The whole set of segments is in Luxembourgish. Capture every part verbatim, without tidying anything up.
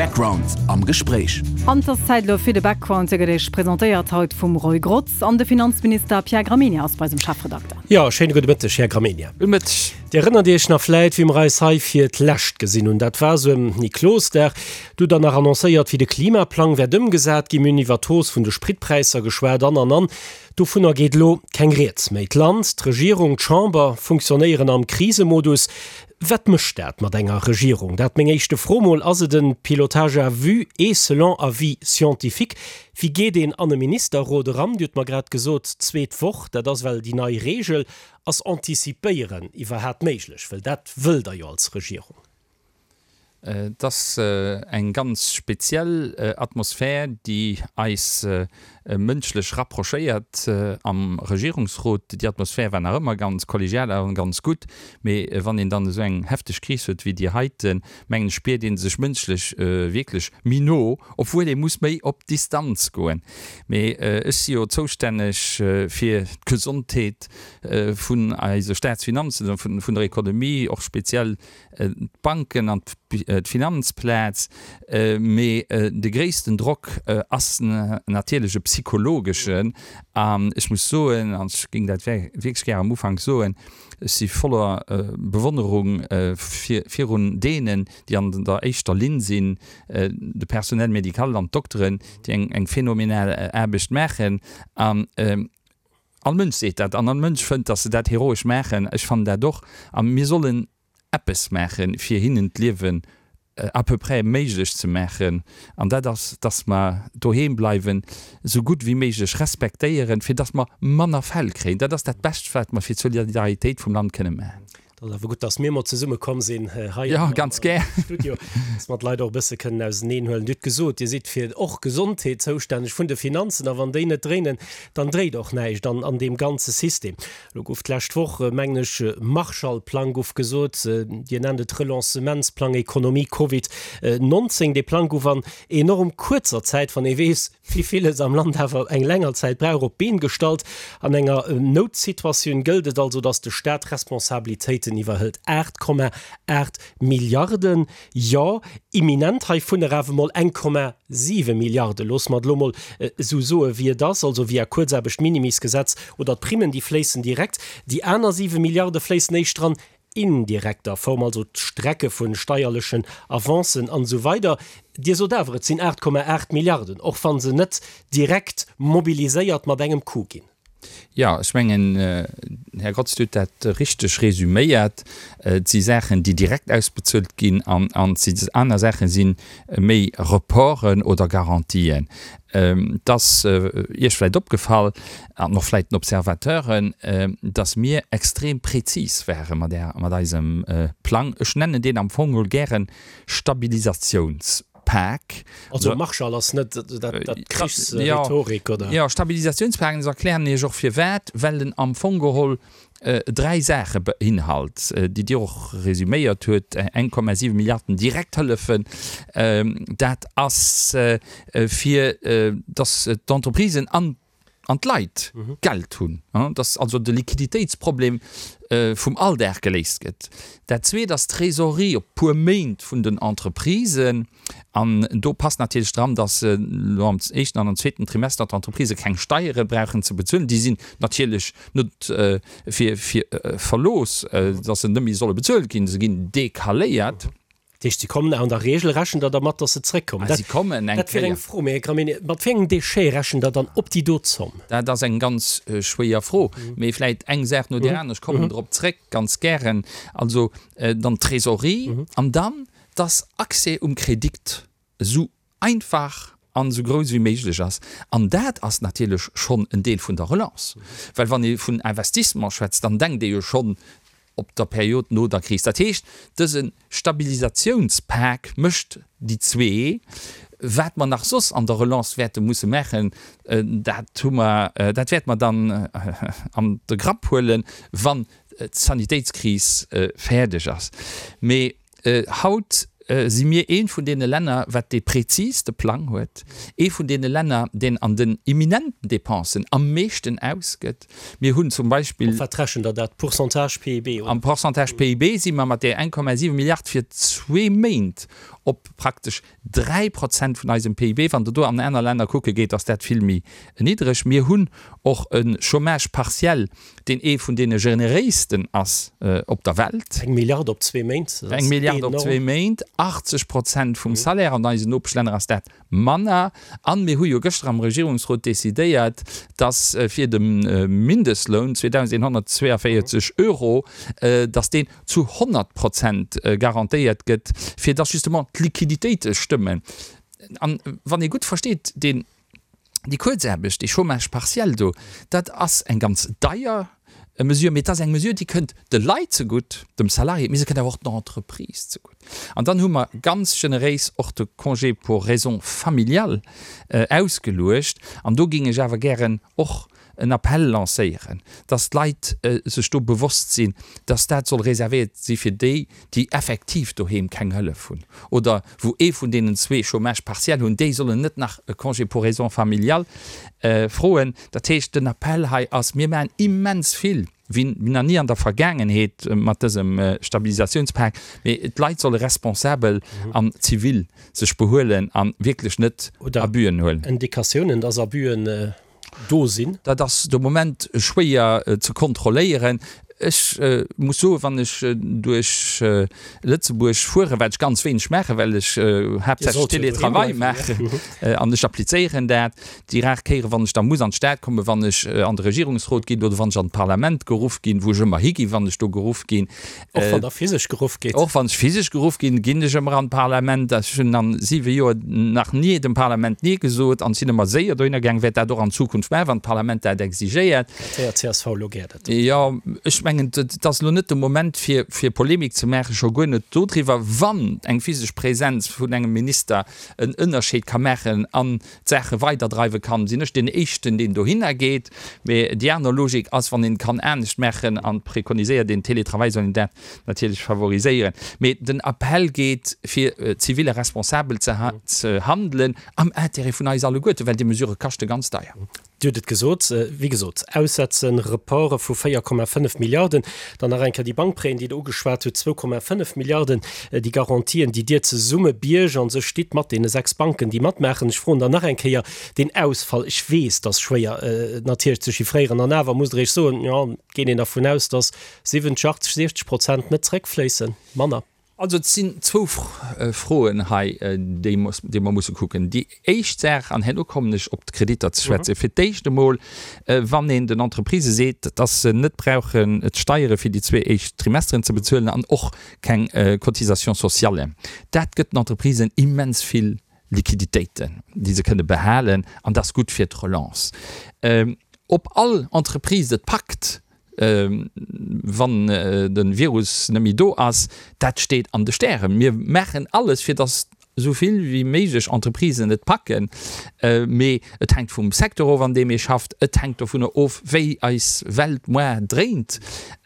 Background am Gespréich. An et ass Zäit elo fir de Background, dee gëtt Iech presentéiert haut vum Roy Grotz an de Finanzminister Pierre Gramegna ass bei eisem Chefredakter. Jo, schéine gudde Mëtteg, Här Gramegna. Gudde Mëtteg. Dir erënnert Iech nach vläit, wéi mer eis hei fir d'lescht gesinn hunn. Dat war esou ëm Niklosdag. Do hutt Der nach annoncéiert, wéi de Klimaplang wäert ëmgesat ginn. Mir hunn iwwer d'Hausse vun de Spritpräisser geschwat an, an, an. Dovunner geet elo keng Rieds méi. D'Land, d'Regierung, d'Chamber funktionéieren am Krisemodus. Wat mécht dat mat enger Regierung? Dat meng éischte Fro mol. Ass et e Pilotage à vue et selon avis scientifique? Wéi geet een an e Ministerrot eran? Dir hutt mer grad gesot, zweet Woch, dat ass well déi nei Regel. Ass Antizipéieren iwwerhaat méiglech? Well dat wëllt Der jo als Regierung. Et ass eng ganz speziell Atmosphär, déi eis mënschlech rapprochéiert am Regierungsrot. Déi Atmosphär war nach ëmmer ganz kollegial a ganz gutt, mee wann een dann esou eng hefteg Kris huet wéi déi heiten, mengen ech, spiert ee sech mënschlech wierklech méi no, obwuel ee muss méi op Distanz goen. Mee ech si jo zoustänneg fir d'Gesondheet vun eise Staatsfinanzen, vun der Ekonomie, och speziell d'Banken an d'Finanzplaz, mee de gréissten Drock ass natierlech e psychologeschen. An ech muss soen, an ech géing dat wierklech gär am Ufank soen, ech si voller Bewonnerung virun deenen, déi an der éischter Linn sinn, de Personnel médical an d'Dokteren, déi eng phänomenal Aarbecht maachen. An all Mënsch seet dat an all Mënsch fënnt, datt se dat heroesch maachen. Ech fannen dat och. A mir sollen eppes maachen, fir hinnen d'Liewen à peu près méiglech ze maachen, an dat ass, dass mer doheem bleiwen, esou gutt wéi méiglech respektéieren, fir dass mer manner Fäll kréien. Dat ass dat Bescht, wat mer fir d'Solidaritéit vum Land kënne maachen. Et ass awer gutt, dass mir emol zesumme komm sinn hei am Studio, dass mer d'Leit och e bësse kënnen auseneen huelen. Dir hutt gesot, Dir sidd fir och Gesondheet zoustänneg vun de Finanzen, a wann déi net dréinen, dann dréit och näischt an deem ganze System. Elo gouf d'lescht Woch, mengen ech, Marshallplang gouf gesot, Dir nennt et Relancementsplang Économie Covid nonzéng. Dee Plang gouf an enorm kuerzer Zäit, wann ee weess, wéi villes am Land awer eng länger Zäit brauch, op d'Been gestallt. An enger Noutsituatioun gëllt et also, datt de Staat Responsabilitéiten iwwerhëlt. Aacht Komma aacht Milliarden, jo, imminent heivunner awer mol eng Komma siwe Milliarde, loosse mer et elo mol esou soe wéi et ass, also via Kuerzaarbecht-Minimisgesetz oder d'Primmen, déi fléissen direkt. Déi aner siwe Milliarde fléissen éischter an indirekter Form, also d'Strecke vu steierlechen Avancen an esou weider. Dir sot awer, et sinn aacht Komma aacht Milliarden, och wa se net direkt mobiliséiert mat engem Coup ginn. Jo, ech mengen, Här Grotz, Dir hutt dat richteg resüméiert. Et si Saachen, déi direkt ausbezuelt ginn an et si aner Saachen, si méi Reporten oder Garantien. Et ass Iech vläicht opgefall, an och vläicht den Observateuren, dass mir extrem prezis ware mat eisem Plang. Ech nennen deen am Fong geholl gären Stabilisatiouns. Pak. Also Marshall ass net dat Krichsrhetorik, oder? Jo, Stabilisatiounspak, an ech erklären Iech och firwat, well en am Fong geholl dräi Saache beinhalt, déi Dir och resüméiert huet, eng Komma siwe Milliarden Direkthëllefen, dat ass fir datt d'Entreprisen an an d'Leit Geld hunn, dass also de Liquiditéitsproblem vum Alldag geléist gëtt. Dat Zweet ass d'Trésorerie op puer Méint vun den Entreprisen. An do passt natierlech dran, dass elo am éischten an am zweeten Trimester d'Entreprisë keng Steiere brauchen ze bezuelen. Déi sinn natierlech net fir verlooss, dass se net méi solle bezuelt ginn, se ginn decaléiert. Dat heescht, si kommen, an der Regel rechent Der dermat, datt se zréckkommen. Si kommen eng Kéier. Dat wier eng Fro. Mee, Här Gramegna, mat wéi engem Déchet rechent Der dann op déi do Zomm? Dat ass eng ganz schwéier Fro. Mee vläicht eng Saach no där aner. Ech kommen drop zréck, ganz gären. Also dann d'Trésorerie an dann, dass Accès um Kredit esou einfach an esou grouss wéi méiglech ass. An dat ass natierlech schonn en Deel vun der Relance. Well wann ee vun Investissement schwätzt, dann denkt ee jo schonn op der Period no der Kris. Dat heescht, dëse Stabilisatiounspak mécht déi zwee. Wat mer nach soss an der Relance wäerte musse maachen, dat hu mer, dat wäerte mer dann an de Grapp huelen, wann d'Sanitéitskris fäerdeg ass. Mee haut si mir eent vun deene Länner, wat dee präziste Plang huet, ee vun deene Länner, deen an den imminenten Dépensen am meeschten ausgëtt. Mir hunn zum Beispill. Op wat rechent Der dat? Pourcentage P I B, oder? Am Pourcentage P I B si mer mat där eng Komma siwe Milliard fir zwee Méint op praktesch dräi Prozent vun eisem P I B. Wann Der do an aner Länner kucke geet, ass dat vill méi niddreg. Mir hunn och e Chômage partiel, deen ee vun deene generéisten ass op der Welt. Eng Milliard op zwee Méint, dat ass enorm. Eng Milliard op zwee Méint, achtzeg Prozent vum Salaire. An eisen Nopeschlänner ass dat manner. An mir hu jo gëschter am Regierungsrot decidéiert, dass fir de Mindestloun, zweedausendeenhonnertzweeavéierzeg Euro, dass deen zu honnert Prozent garantéiert gëtt, fir dass justement d'Liquiditéite stëmmen. An wann ee gutt versteet, deen, déi Kuerzaarbecht, dee Chômage partiel do, dat ass eng ganz deier Mesure, mee et ass eng Mesure, déi kënnt de Leit zegutt, dem Salarié, mee se kënnt awer och den Entreprises zegutt. An dann hu mer ganz generéis och de Congé pour raisons familiales ausgeluecht. An do géing ech awer gären och en Appell lancéieren, dass d'Leit sech do bewosst sinn, dass dat soll reservéiert si fir déi, déi effektiv doheem keng Hëllef hunn oder wou ee vun deenen zwee Chômage partiel hunn, déi sollen net nach e Congé pour raisons familiales froen. Dat heescht, den Appell hei ass, mir maachen immens vill, wéi nach ni an der Vergaangenheet mat dësem Stabilisatiounspak, mee d'Leit solle responsabel an zivil sech behuelen a wierklech net Abüen huelen. Oder Indikatiounen, dass Abüen do sinn? Dat ass de Moment schwéier ze kontrolléieren. Ech muss soen, wann ech duerch Lëtzebuerg fueren, wat ech ganz wéineg maachen, well ech haaptsächlech Télétravail maachen an ech applizéieren dat déi rar Kéieren, wann ech da muss an d'Stad kommen, wann ech an de Regierungsrot ginn oder wann ech an d'Parlament geruff ginn, wou ech ëmmer higinn, wann ech do geruff ginn. Och wann Der physesch geruff gitt? Och wann ech physesch geruff ginn, ginn ech ëmmer an d'Parlament. Ech hunn a siwe Joer nach ni dem Parlament Nee gesot an sinn ëmmer séier dohinner gaangen, wäert dat och an Zukunft maachen, wann d'Parlament dat exigéiert. Dat héiert d'C S V elo gär, dat. Jo, ech mengen, et ass elo net de Moment, fir, fir Polemik ze maachen, scho guer net dodriwwer, wann eng physesch Präsenz vun engem Minister en Ënnerscheed ka maachen an d'Saache weiderdreiwe kann, sinn ech deen Éischten, deen dohinner geet. Mee déi aner Logik ass, wann een et kann anescht maachen an preconiséiert een Télétravail, soll een dat natierlech favoriséieren. Mee den Appell geet, fir zivil a responsabel ze, ze handelen am Intérêt vun eis alleguerten, well déi Mesurë kaschte ganz deier. Dir hutt et gesot, wéi gesot, Aussetzen, Reporte vu véier Komma fënnef Milliarden, dann nach eng Kéier déi Bankpréien, déi Der ugeschwat hutt, zwou Komma fënnef Milliarden, déi Garantien, déi Dir zesumme biergt a sech stitt mat deene sechs Banken, déi matmaachen. Ech froen dann nach eng Kéier deen Ausfall, ech weess, dat ass schwéier natierlech ze chiffréieren, an awer musst Der Iech soen, jo, geet een dervun aus, datt siwwenzeg, achtzeg, siechzeg Prozent net zréckfléissen, manner? Also et sinn zwou Froen hei, déi mer musse kucken. Déi éischt Saach, an herno kommen ech op d'Kreditter ze schwätzen, fir d'éischt emol, wann een den Entreprisë seet, dass se net brauchen d'Steiere fir déi zwee éischt Trimesteren ze bezuelen an och keng Cotisations sociales, dat gëtt den Entreprisen immens vill Liquiditéiten, déi se kënne behalen, an dat ass gutt fir d'Relance. Ob all Entreprise et packt, wann de Virus net méi do ass, dat steet an de Stären. Mir maachen alles, fir datt esou vill wéi méiglech Entreprisen et packen, mee et hänkt vum Secteur of, an deem ee schafft, et hänkt dovunner of, wéi eis Welt moar dréint.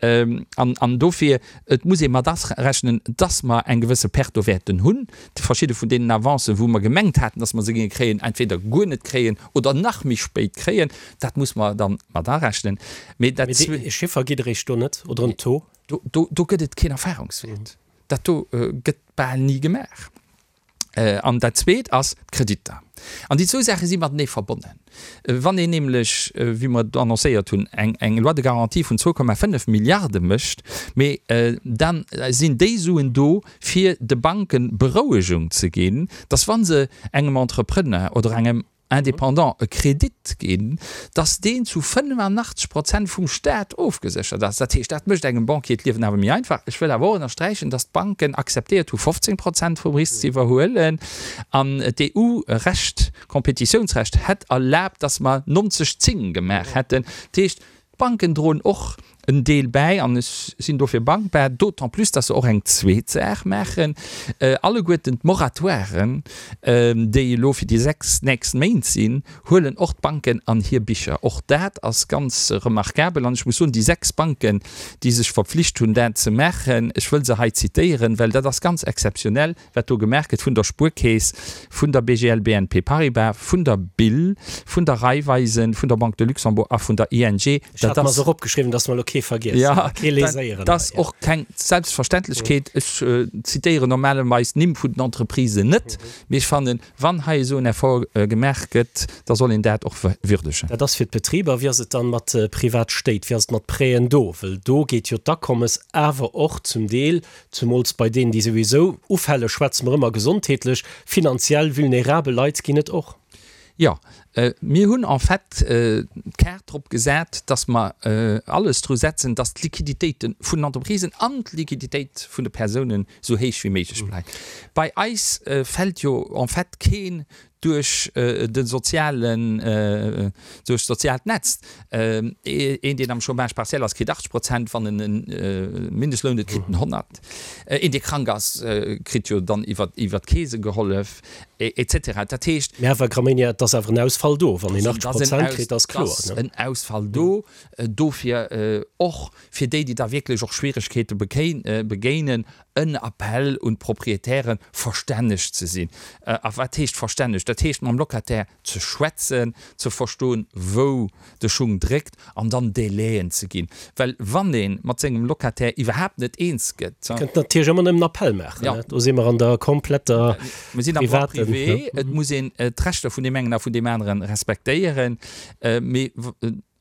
An dofir, et muss ee mat arechnen, datt mer eng gewësse Perte do wäerten hunn, verschidde vun deenen Avancen, wou mer gemengt haten, datt mer se géinge kréien, entweder guer net kréien oder nach méi spéit kréien. Dat muss mer da mat arechnen. Mee dat Mee e Chiffer gitt Der Iech do net oder en Taux? Do, do, do gëtt et keen Erfahrungswäert. Dat do gëtt bal ni gemaach. An dat Zweet ass d'Kreditter. An déi zwou Saache si matenee verbonnen. Wann een nämlech, wéi mer et annoncéiert hunn, eng, eng Loi de garantie vun zwou Komma fënnef Milliarde mécht, mee da sinn déi Suen do, fir de Banke Berouegung ze ginn, dass wa se engem Entrepreneur oder engem Indépendant e Kredit ginn, dass deen zu fënnefenachtzeg Prozent vum Staat ofgeséchert ass. Dat heescht, dat mécht engem Banquier d'Liewen awer méi einfach. Ech wëll awer och ënnersträichen, dass d'Banken akzeptéiert hu fofzéng Prozent vum Risk ze iwwerhuelen an d'E U-Recht, Compétitiounsrecht hätt erlaabt, dass mer nonzeg zéng gemaach hätten. Dat heescht, d'Banken droen och en Deel bäi an ech sinn dofir dankbar, d'autant plus, dass se och eng zweet Saach maachen, alleguerten d'Moratoiren, déi elo fir déi sechs nächst Méint sinn, huelen och d'Banken an hir Bicher. Och dat ass ganz remarkabel an ech muss soen, déi sechs Banken, déi sech verpflicht hunn, dat ze maachen, ech wëll se hei zitéieren, well dat ass ganz exzeptionell, wat do gemaach gëtt, vun der Spuerkeess, vun der B G L B N P Paribas, vun der B I L, vun der Raiffeisen, vun der Banque de Luxembourg a vun der I N G. Ech hat mer se och opgeschriwwen, dass mer elo kee vergiessen, kee léséieren. Dat ass och keng Selbstverständlechkeet. Ech zitéieren normalerweis d'Nimm vun den Entreprisen net, mee ech fannen, wann hei esou en Effort gemaach gëtt, da soll een dat och würdegen. Dat ass fir d'Betriber. Wéi ass et dann mat Privatstéit? Wéi ass et mat Prêten do? Well do geet jo d'Akommes awer och zum Deel, zumools bei deenen, déi souwisou ufälle, schwätze mer ëmmer gesondheetlech, finanziell vulnerabel Leit ginn et och. Jo, mir hunn en fait d'Kaart drop gesat, dass mer alles dru setzen, dass d'Liquiditéite vun den Entreprisen an d'Liquiditéit vun de Persounen esou héich wéi méiglech bleift. Bei eis fält jo en fait keen duerch de sozialen, duerch d'soziaalt Netz. Een, deen am Chômage partiel ass, kritt achtzeg Prozent, wann en e Mindestloun huet, kritt en honnert. Een, dee krank ass, kritt jo dann iwwer d'Keese gehollef, et cetera. Dat heescht. Mä Här Gramegna, et ass awer en Ausfall do, wann een achtzeg Prozent kritt, ass kloer. Et ass en Ausfall do. Dofir och fir déi, déi da wierklech och Schwieregkeete begéinen, en Appell un d'Proprietären, verstänneg ze sinn. A wat heescht verstänneg? Dat heescht, mam Locataire ze schwätzen, ze verstoen, wou de Schung dréckt an dann Délaiën ze ginn. Well wann ee mat sengem Locataire iwwerhaapt net eens gëtt. Dir kënnt natierlech ëmmer nëmmen Appell maachen. Do si mer an der kompletter privaten. Mir sinn am Droit privé. Et muss een d'Rechter vun deem engen a vun deem anere respektéieren. Mee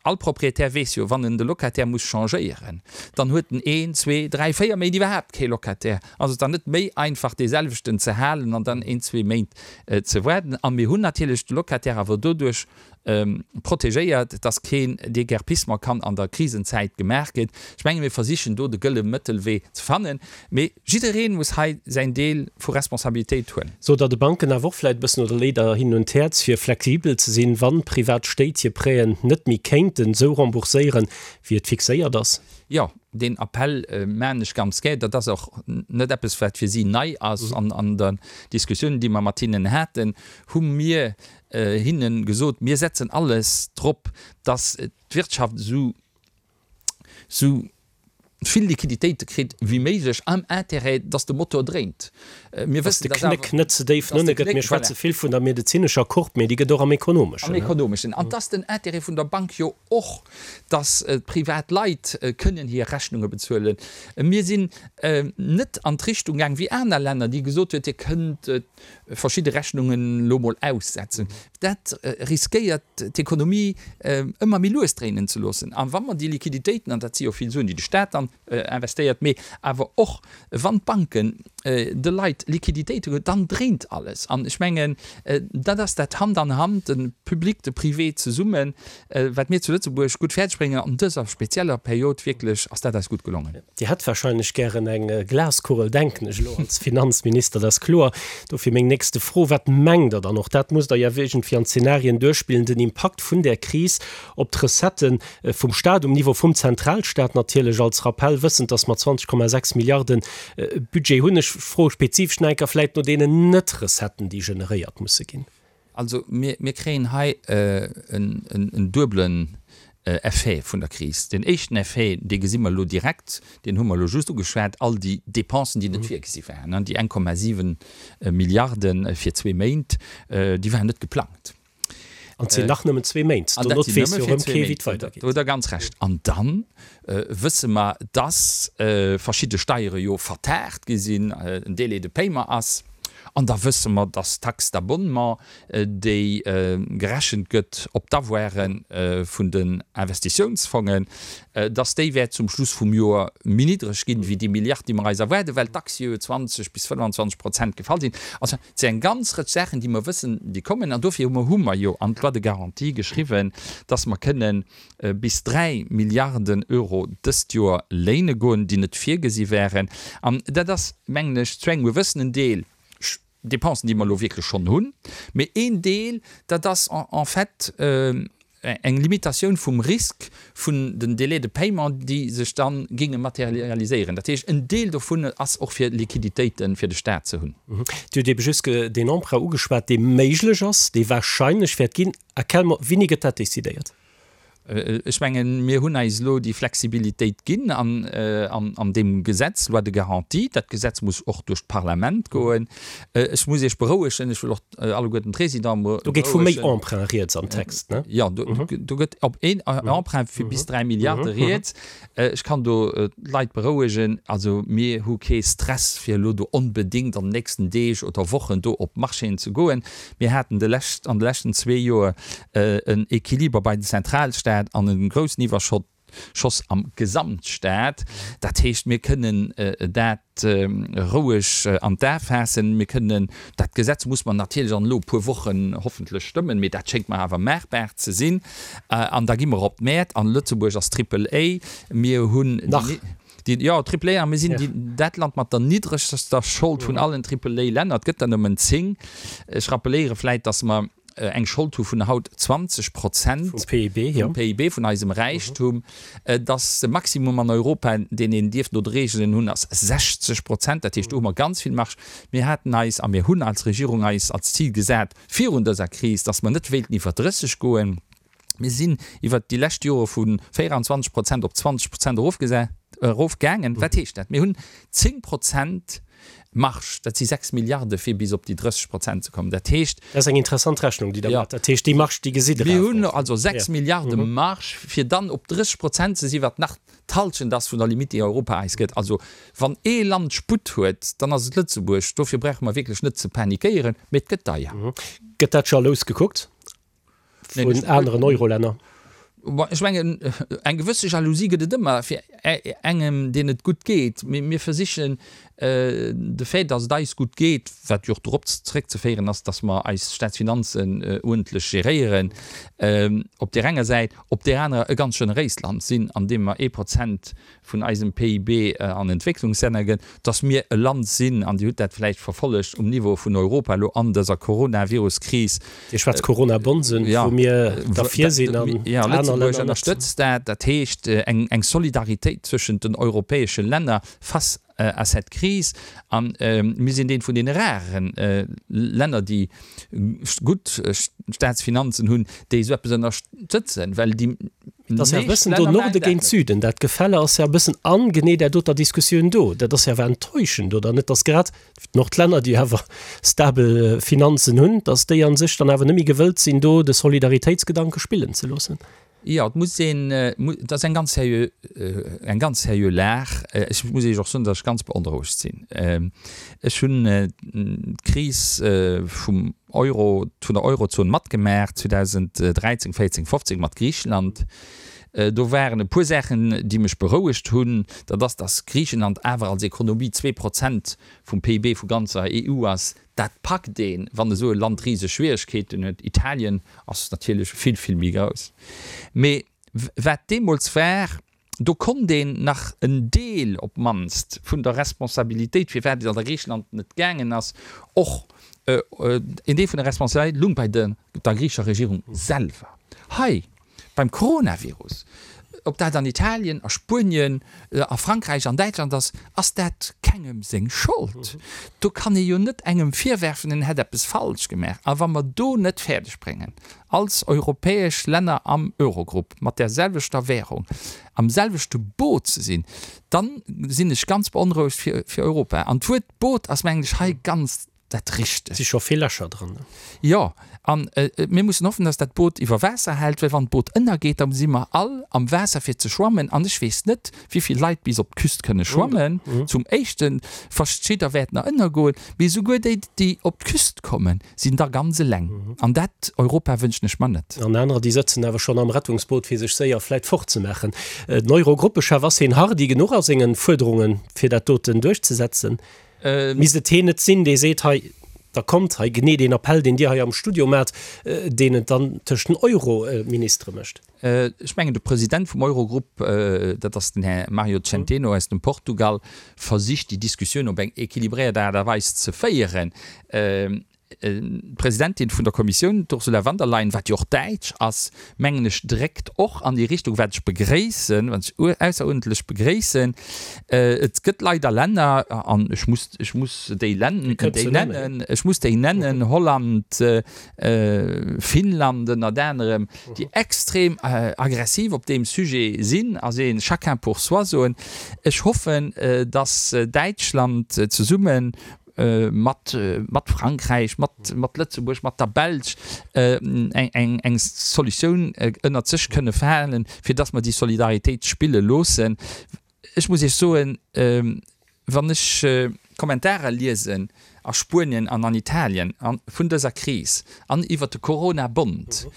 all Proprietär weess jo, wann en de Locataire muss changéieren, dann huet en een, zwee, dräi, véier Méint iwwerhaapt kee Locataire. Ass et dann net méi einfach, dee selwechten ze halen an dann een, zwee Méint ze waarden? A mir hunn natierlech de Locataire awer doduerch protegéiert, dass keen Déguerpissement kann an der Krisenzäit gemaach ginn. Ech menge mir versichen do de gëlle Mëttelwee ze fannen, mee jidderee muss hei säin Deel vu Responsabilitéit huelen. Sot Der de Banken awer och vläicht e bëssen oder leet Der hinnen un d'Häerz fir flexibel ze sinn, wann privat Stéit hir Prêten net méi kéinten esou rembourséieren, wéi et fixéiert ass? Jo, deen Appell maachen ech ganz gär. Dat ass och net eppes, wat fir si nei ass. An an der Diskussioun, déi mer mat hinnen haten, hu mir hinne gesot, mir setzen alles drop, datt d'Wirtschaft esou esou vill Liquiditéite kritt wéi méiglech, am Intérêt, datt de Motor dréint. Mir wëssen, datt de Knéck net ze déif no ënne gëtt. Mir schwätze vill vun der medezinescher Courbe, mee déi gëtt och am ekonomeschen. Am ekonomeschen. An et ass den Intérêt vun der Bank jo och, datt d'privat Leit kënnen hir Rechnunge bezuelen. Mir sinn net an d'Richtung gaang wéi aner Länner, déi gesot huet, Dir kënnt verschidde Rechnungen elo mol aussetzen. Dat riskéiert d'Ekonomie ëmmer méi lues dréinen ze loossen. A wa mer déi Liquiditéiten, an dat si jo vill Suen, déi de Staat dann investéiert, mee awer och wann d'Banken de Leit Liquiditéite ginn, dann dréint alles. An ech mengen, dat ass dat Hand an Hand, de Public, de Privé zesummen, wat mir zu Lëtzebuerg gutt fäerdeg bréngen. An dëser spezieller Period wierklech ass dat eis gutt gelongen. Dir hätt wahrscheinlech gären eng Glaskugel, denken ech elo als Finanzminister, dat ass kloer. Dofir meng nächste Fro, Wat mengt Der dann, och dat musst Der jo iergendwéi an Zenarien duerchspillen, den Impakt vun där Kris op d'Recettë vum Stat, um Niveau vum Zentralstat natierlech als Rappell, wëssend, datt mer zwanzeg Komma sechs Milliarden Budget hunn? Ech froe spezifesch nach eng Kéier vläicht no deenen Net-Recetten, déi generéiert musse ginn. Also mir kréien hei en duebelen Effet vun der Kris. Deen éischten Effet, dee gesi mer elo direkt, deen hu mer elo just ugeschwat, all déi Dépensen, déi net virgesi waren, déi eng Komma siwen Milliarde fir zwee Méint, déi waren net geplangt. An et sinn nach nëmmen zwee Méint. An dat sinn nëmme fir zwee Méint. Do hutt Der ganz Recht. An da wësse mer, dass verschidde Steiere jo vertaagt gi sinn, en Délai de paiement ass. An da wësse mer, dass d'Taxe d'abonnement, déi gerechent gëtt op d'Avoire vun den Investitiounsfongen, dass déi wäert zum Schluss vum Joer méi niddreg ginn, wéi déi Milliard, déi mer eis erwaarden, well d'Aktie jo zwanzeg bis fënnwanzwanzeg Prozent gefall sinn. Also, et sinn eng ganz Rëtsch Saachen, déi mer wëssen, déi kommen. An dofir hu mer jo an d'Loi de garantie geschriwwen, dass mer kënnen bis dräi Milliarden Euro dëst Joer léine goen, déi net virgesi waren. An dat ass, mengen ech, zu engem gewëssenen Deel Dépensen, déi mer elo wierklech schonn hunn, mee een Deel, dat ass en fait eng Limitatioun vum Risk vun den Délais de paiement, déi sech da géinge materialiséieren. Dat heescht, en Deel dovun ass och fir Liquiditéite fir de Stat ze hunn. Dir hutt ebe just deen Emprunt ugeschwat, dee méiglech ass, dee wahrscheinlech wäert ginn. À quel moment, wéini gëtt dat decidéiert? Ech mengen, mir hunn eis elo déi Flexibilitéit ginn an, an, an deem Gesetz, Loi de garantie. Dat Gesetz muss och duerch d'Parlament goen. Ech muss Iech berouegen, ech wëll och alleguerten d'Résidenten berouegen. Do geet vu méi Emprunt rieds am Text, ne? Jo, do, do gëtt op een Emprunt vu bis dräi Milliarde rieds. Ech kann do d'Leit berouegen, also mir hu kee Stress, fir elo do onbedéngt an den nächsten Deeg oder Wochen do op d'Marchéen ze goen. Mir haten de lescht, an de leschten zwee Joer en Equiliber bei den Zentralstaat an e groussen Iwwerschott Schoss am Gesamtstaat. Dat heescht, mir kënnen dat roueg an d'A faassen. Mir kënnen, dat Gesetz muss mer natierlech an elo e puer Wochen hoffentlech stëmmen, mee dat schéngt mer awer maachbar ze sinn. An da gi mer op d'Mäert an Lëtzebuerg ass Triple A. Mir hunn Nach. déi, jo, Triple A, a mir sinn déi, dat Land mat der niddregster Schold vun allen Triple A-Länner. Et gëtt der nëmmen zéng. Ech rappeléiere vläicht, dass mer eng Schold hu vun haut zwanzeg Prozent vum P I B, jo. Vum P I B, vun eisem Räichtum, dass de Maximum an Europa, deen een dierf no de Reegelen hunn, ass sechzeg Prozent. Dat heescht, do hu mer ganz vill Marge. Mir haten eis a mir hunn als Regierung eis als Zil gesat virun dëser Kris, dass mer net wéilten iwwer drësseg goen. Mir sinn iwwert déi lescht Jore vu véieranzwanzeg Prozent op zwanzeg Prozent erofgaangen. Wat heescht dat? Mir hunn zéng Prozent Marge, dat si sechs Milliarde fir bis op déi drësseg Prozent ze kommen. Dat heescht. Dat ass eng interessant Rechnung, déi Der maacht. Dat heescht, déi Marge, déi gesitt Der Mir awer hunn och. also sechs Milliarde Marge, fir dann op drësseg Prozent ze sinn, wat nach d'Halschent ass vun der Limite, déi Europa eis gëtt. Also wann ee Land Sputt huet, dann ass et Lëtzebuerg. Dofir brauche mer wierklech net ze panikéieren, mee et gëtt deier. Gëtt dat jalous gekuckt vun aneren Eurolänner? Ech mengen, eng gewësse Jalousie gëtt et ëmmer fir engem, deen et gutt geet. Mee mir versichen, de Fait, datt et eis gutt geet, wat jo och dorop zeréckzeféieren ass, datt mer eis Staatsfinanzen uerdentlech geréieren, op där enger Säit, op där anerer e ganz generéist Land sinn, an deem mer ee Prozent vun eisem P I B an Entwécklungslänner gëtt, dass mir e Land sinn, an Dir hutt dat vläicht verfollegt, um Niveau vun Europa elo an dëser Coronavirus-Kris. Dir schwätzt Corona-Bonds un, wou mir derfir sinn an aner Länner net. Lëtzebuerg ënnerstëtzt dat. Dat heescht eng Solidaritéit zwëschent den europäesche Länner face à cette crise. A mir sinn eent vun deene rare Länner, déi gutt Staatsfinanzen hunn, déi esou eppes ënnerstëtzen, well déi Et ass jo e meescht bëssen do Länner maachen Norde dat géint net. Süden. Dat Gefälle ass jo e bëssen an genee där doter Diskussioun do. Dat ass jo awer enttäuschend, oder net, dass grad d'Nordlänner, déi awer stabel Finanzen hunn, dass déi a sech dann awer net méi gewëllt sinn, do de Solidaritéitsgedanke spillen ze loossen. Jo, et muss een, et ass eng ganz seriö, eng ganz seriö Lag. Ech muss Iech och soen, datt ech ganz beonrouegt sinn. Ech hunn d'Kris vum Euro, vun der Eurozon matgemaach zweedausenddräizéng, véierzéng, fofzéng mat Griicheland. Do waren e puer Saachen, déi mech berouegt hunn. Dat ass, datt Griichenland awer als Ekonomie zwee Prozent vum P I B vu ganzer E U ass. Dat packt een, wann esou e Land riseg Schwieregkeeten huet. Italien ass natierlech vill, vill méi grouss. Mee wat deemools war, do konnt een nach en Deel op d'mannst vun der Responsabilitéit, firwat et an der Griicheland net gaangen ass, och en Deel vun der Responsabilitéit lung bei der griichescher Regierung selwer. Hei beim Coronavirus, ob dat an Italien, a Spuenien, a Frankräich, an Däitschland ass, ass dat kengem seng Schold. Do kann ee jo net engem virwerfen, en hätt eppes falsch gemaach. A wa mer do net fäerdeg bréngen, als europäesch Länner am Eurogrupp mat där selwechter Währung am selwechte Boot ze sinn, da sinn ech ganz beonrouegt fir Europa. An d'Wuert Boot ass, mengen ech, hei ganz dat Et si Richtegt. scho vill Lächer dran. Jo, a mir mussen hoffen, dass dat Boot iwwer Waasser hält, well wann d'Boot ënnergeet, da si mer all am Waasser fir ze schwammen. An ech weess net, wéi vill Leit bis op d'Küst kënne schwammen. Zum Éischten, verschidder wäerten nach ënnergoen, mee esouguer déi, déi op d'Küst kommen, sinn da ganz eleng. An dat Europa wënschen ech mer net. An anerer, déi sëtzen awer schonn am Rettungsboot, fir sech séier vläit fortzemaachen. Den Eurogruppechef, ass hien hardi genuch a sengen Fuerderungen, fir dat doten duerchzesetzen? Misst et heen net sinn, dee seet, hei, da kommt hei, genee deen Appell, deen Dir hei am Studio maacht, deen et dann tëscht den Euro-Ministere mécht? Ech mengen, de President vum Eurogrupp, dat ass den Här Mario Centeno aus dem Portugal, versicht déi Diskussioun op eng équilibréiert Aart a Weis ze féieren. D'Presidentin vun der Kommissioun, d'Ursula von der Leyen, wat jo och Däitsch ass, mengen ech, dréckt och an déi Richtung, wat ech begréissen, wat ech ausseruerdentlech begréissen. Et gëtt leider Länner, an ech muss, ech muss déi nennen, ech muss déi nennen, Holland, Finnland ënnert anerem, déi extrem aggressiv op deem Sujet sinn a seen chacun pour soi soen. Ech hoffen, datt Däitschland zesumme mat mat Frankräich, mat mat Lëtzebuerg, mat der Belsch eng eng eng Solutioun ënnert sech kënne fannen, fir datt mer déi Solidaritéit spille loossen. Ech muss Iech soen, wann ech Kommentarer liesen a Spuenien an an Italien vun dëser Kris an iwwert de Corona-Bond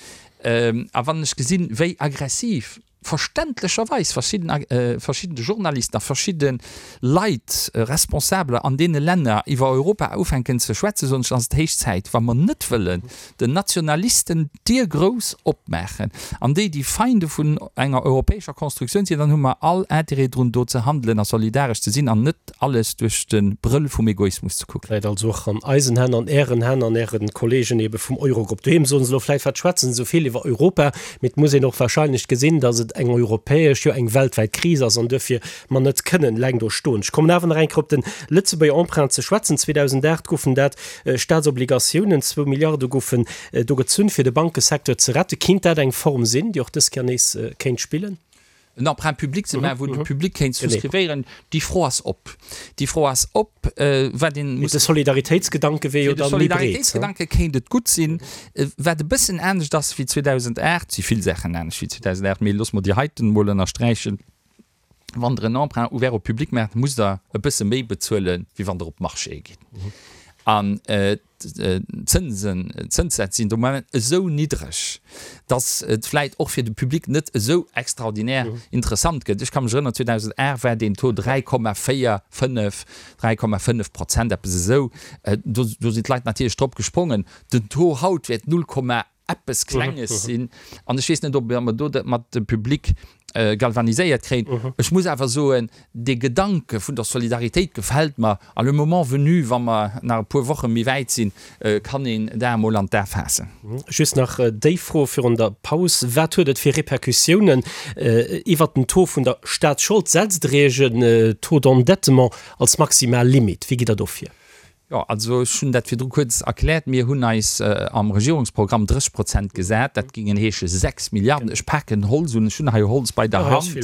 a wann ech gesinn, wéi aggressiv verständlecherweis verschidden verschidde Journalisten a verschidde Leit, Responsabeler an deene Länner iwwer Europa ufänken ze schwätzen, soen ech, ass et héich Zäit, wa mer net wëllen den Nationalisten d'Dier grouss opmaachen an déi déi Feinde vun enger europäescher Konstruktioun sinn, dann hu mer all Intérêt drun, do ze handelen a solidaresch ze sinn an net alles duerch de Brëll vum Egoismus ze kucken. Läit also och an eisen Hänn, an Ären Hänn, an Äre Kollegen ebe vum Eurogrupp. Doheem soen se elo vläicht, wat schwätzen se esou vill iwwer Europa? Mee et muss een och wahrscheinlech gesinn, datt et eng europäesch, jo eng weltwäit Kris ass an duerfir mer net kënnen eleng do stoen. Ech kommen awer nach eng Kéier op de Lëtzebuerger Emprunt ze schwätzen. zweedausendacht goufen dat Staatsobligatiounen, zwou Milliarde goufen do gezunn, fir de Bankesecteur ze retten. Kinnt dat eng Form sinn, déi och dës Kéier nees kéint spillen? En Emprunt public ze maachen, wou de Public kéint souscrivéieren, déi Fro ass op. Déi Fro ass op, wat een muss. Fir de Solidaritéitsgedanke wier jo dann méi breet. Fir de Solidaritéitsgedanke kéint et gutt sinn. Wat e bëssen anescht ass wéi zweedausendacht, et si vill Saachen anescht wéi zweedausendacht, mee loosse mer déi heiten emol ënnersträichen, Wann Der en Emprunt ouvert au public maacht, musst Der e bësse méi bezuelen, wéi wann Der op d'Marchéë gitt. An d'Zënsen, d'Zënssätz sinn de Moment esou niddreg, datt et vläit och fir de Public net esou extraordinär interessant gëtt. Ech ka mech erënneren, zweedausendacht war deen Taux dräi Komma véier, fënnef, dräi Komma fënnef Prozent, eppes esou. Do, do sinn d'Leit natierlech drop gesprongen. Den Taux haut wäert null Komma eppes Klenges sinn. An ech weess net, ob mer do dat mat de Public galvaniséiert kréien. Ech muss awer soen, dee Gedanke vun der Solidaritéit gefält mer. A le moment venu, wa mer nach e puer Woche méi wäit sinn, kann een dat emol an d'A faassen. Just nach déi Fro virun der Paus, Wat huet et fir Repercussiounen iwwert den Taux vun der Staatsschold? Setzt Der Iech en Taux d'endettement als maximal Limite? Wéi gitt Der do vir? Jo, also ech hunn dat virdru kuerz erkläert. Mir hunn eis am Regierungsprogramm drësseg Prozent gesat. Dat géingen heesche sechs Milliarden. Ech paken Holz un, ech hunn hei Holz bei der Hand,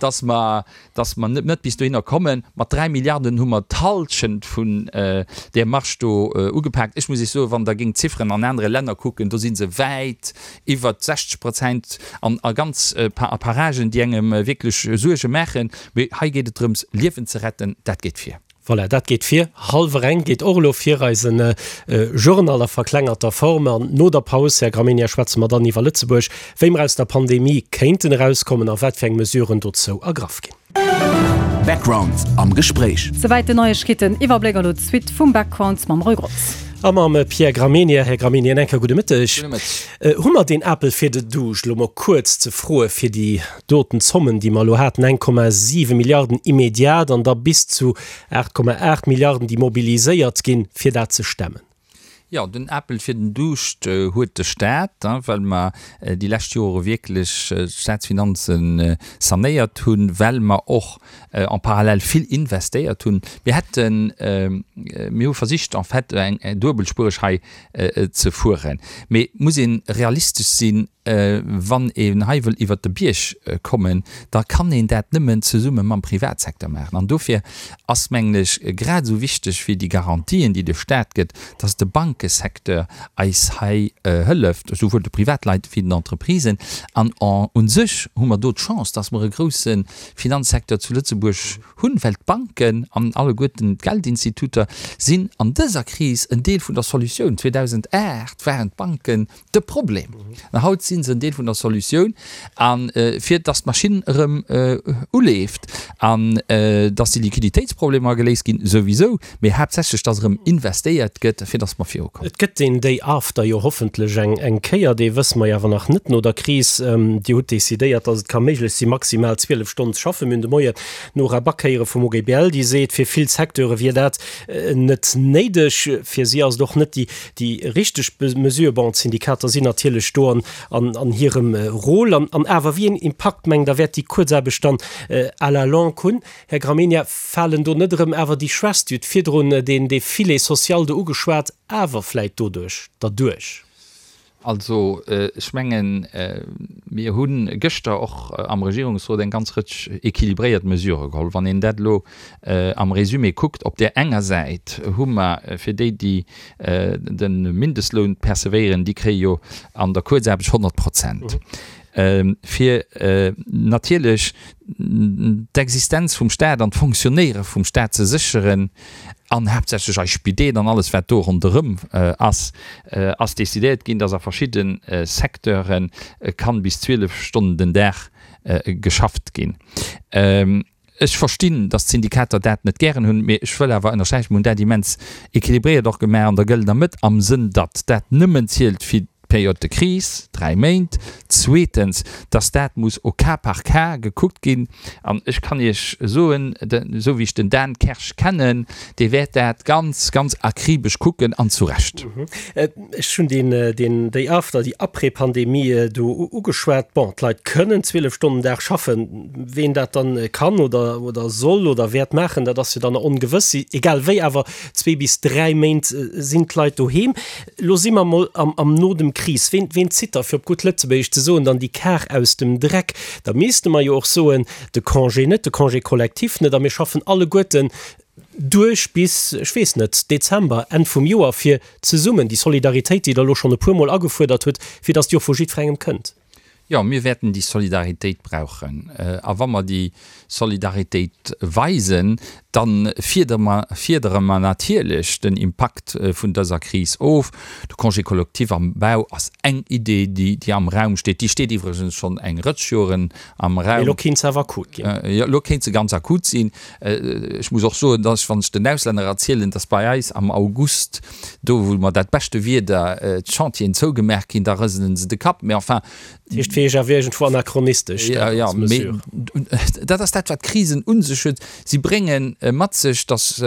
dass mer, dass mer net bis dohinner kommen. Mat dräi Milliarden hu mer d'Hallschent vun där Marge do ugepaakt. Ech muss Iech soen, wann Der géingt d'Zifferen an anere Länner kucken, do si se wäit iwwert sechzeg Prozent an a ganz a Paragen, déi engem wierklech Suerge maachen. Mee hei geet et drëms, Liewen ze retten. Dat geet vir. Voilà, dat geet vir. Hallwer eng geet och elo vir eisen Journal a verklengerter Form. An no der Paus, Här Gramegna, schwätze mer dann iwwer Lëtzebuerg, wéi mer aus der Pandemie kéinten erauskommen a wat fir eng Mesuren dozou ergraff ginn. Background am Gespréich. Souwäit den Neiegkeeten-Iwwerbléck an elo d'Suite vum Background mam Roy Grotz. A mam Pierre Gramegna. Här Gramegna, en enker gudde Mëtteg. Gudde Mëtteg. Hu mer deen Apel fir de Duuscht elo mol kuerz ze froe fir déi doten Zommen, déi mer elo haten, eng Komma siwe Milliarden immediat an da bis zu aacht Komma aacht Milliarden, déi mobiliséiert ginn, fir dat ze stemmen? Jo, den Apel fir den Duuscht huet de Staat, well mer déi lescht Jore wierklech d'Staatsfinanze sanéiert hunn, well mer och en parallèle vill investéiert hunn. Mir hätten, mir hu versicht en fait eng duebelspuereg hei ze fueren. Mee et muss ee realistesch sinn, Wann een hei wëll iwwert de Bierg kommen, da kann een dat nëmmen zesumme mam Privatsecteur maachen. An dofir ass, mengen ech, grad esou wichteg wéi déi Garantien, déi de Stat gëtt, dass de Bankesecteur eis hei hëlleft, esouwuel de Privatleit wéi den Entreprisen. An u sech hu mer do d'Chance, dass mer e grouse Finanzsecteur zu Lëtzebuerg hunn, well d'Banken an alleguerten d'Geldinstituter sinn an dëser Kris en Deel vun der Solutioun. zweedausendacht waren d'Banken de Problem. An haut si se en Deel vun der Solutioun. A fir datt d'Maschinn erëm uleeft an datt déi Liquiditéitsproblemer geléist ginn, souwisou, mee haaptsächlech datt erëm investéiert gëtt, fir datt mer virukommen. ukomm. Et gëtt deen Day after jo hoffentlech eng eng Kéier, dee wësse mer jo awer nach net no der Kris. Dir hutt decidéiert, datt et ka méiglech si maximal zwielef Stonnen ze schaffen. Mir hunn de Moien d'Nora Back héiere vum O G B L, déi seet, fir vill Secteure wier dat net néideg. Fir si ass et och net déi déi richteg Mesure. Bon, d'Syndikater sinn natierlech do an an an hirem Rôle. An an awer, wéi een Impakt mengt Der wäert déi Kuerzaarbecht dann à la longue hunn? Här Gramegna, falen do net erëm awer déi Schwächst, Dir hutt virdrun deen dee Filet social do ugeschwat, awer vläit doduerch derduerch? Also, ech mengen, mir hu gëschter och am Regierungsrot eng ganz Rëtsch équilibréiert Mesurë geholl. Wann een dat elo am Résumé kuckt, op där enger Säit hu mer fir déi, déi de Mindestloun percevéieren, déi kréie jo an der Kuerzaarbecht honnert Prozent. Fir natierlech d'Existenz vum Staat an d'Fonctionnéiere vum Staat ze sécheren, an haaptsächlech eis Spideeler an alles wat do ronderëm ass, ass decidéiert ginn, dass a verschidde Secteure kann bis zwielef Stonnen den Dag geschafft ginn. Ech verstinn, dass d'Syndikater dat net gären hunn, mee ech wëll awer ënnersträichen, mir hunn dat immens équilibréiert och gemaach an der gëllener Mëtt, am Sënn, datt dat nëmmen zielt fir d'Période de crise, dräi Méint, zweetens, dass dat muss au cas par cas gekuckt ginn. An ech kann Iech soen, esou wéi ech den Dan Kersch kennen, dee wäert dat ganz, ganz akribesch kucken, an zu Recht. Ech hunn deen, deen Day after, déi Après-Pandemie do ugeschwat. Bon, d'Leit kënnen zwielef Stonnen den Dag schaffen. Ween dat dann kann oder, oder soll oder wäert maachen, dat ass jo dann ongewëss. Egal wéi, awer zwee bis dräi Méint sinn d'Leit doheem. Lo si mer mol am, am no dem Kris. Ween, ween zitt da, fir op gutt Lëtzebuergesch ze soen, dann déi Kar aus dem Dreck? Da misste mer jo och soen, de Congé net, de Congé collectif net, a mir schaffen alleguerten duerch bis, ech weess net, Dezember, Enn vum Joer, fir zesummen déi Solidaritéit, déi Der elo schonn e puermol agefuerdert hutt, fir datt déi och vu jiddwerengem kënnt. Jo, mir wäerten déi Solidaritéit brauchen. A wa mer déi Solidaritéit weisen, da fiedere mer natierlech den Impakt vun dëser Kris of. De Congé collectif am Bau ass eng Idee, déi am Raum steet. Déi steet iwwregens schonn eng Rëtsch Joren am Raum. Mee elo kéint se awer akut ginn. Jo, elo kéint se ganz akut sinn. Ech muss och soen, dass, wann ech den Auslänner erzielen, dass bei eis am August, do wou mer dat beschte Wieder, d'Chantieren zougemaach ginn, da rëselen se de Kapp. Mee enfin, Dat heescht, fir Iech awer iergendwou anachronistesch, dat als Mesure. Dat ass dat, wat Krisen un sech huet. Si brénge mat sech, datt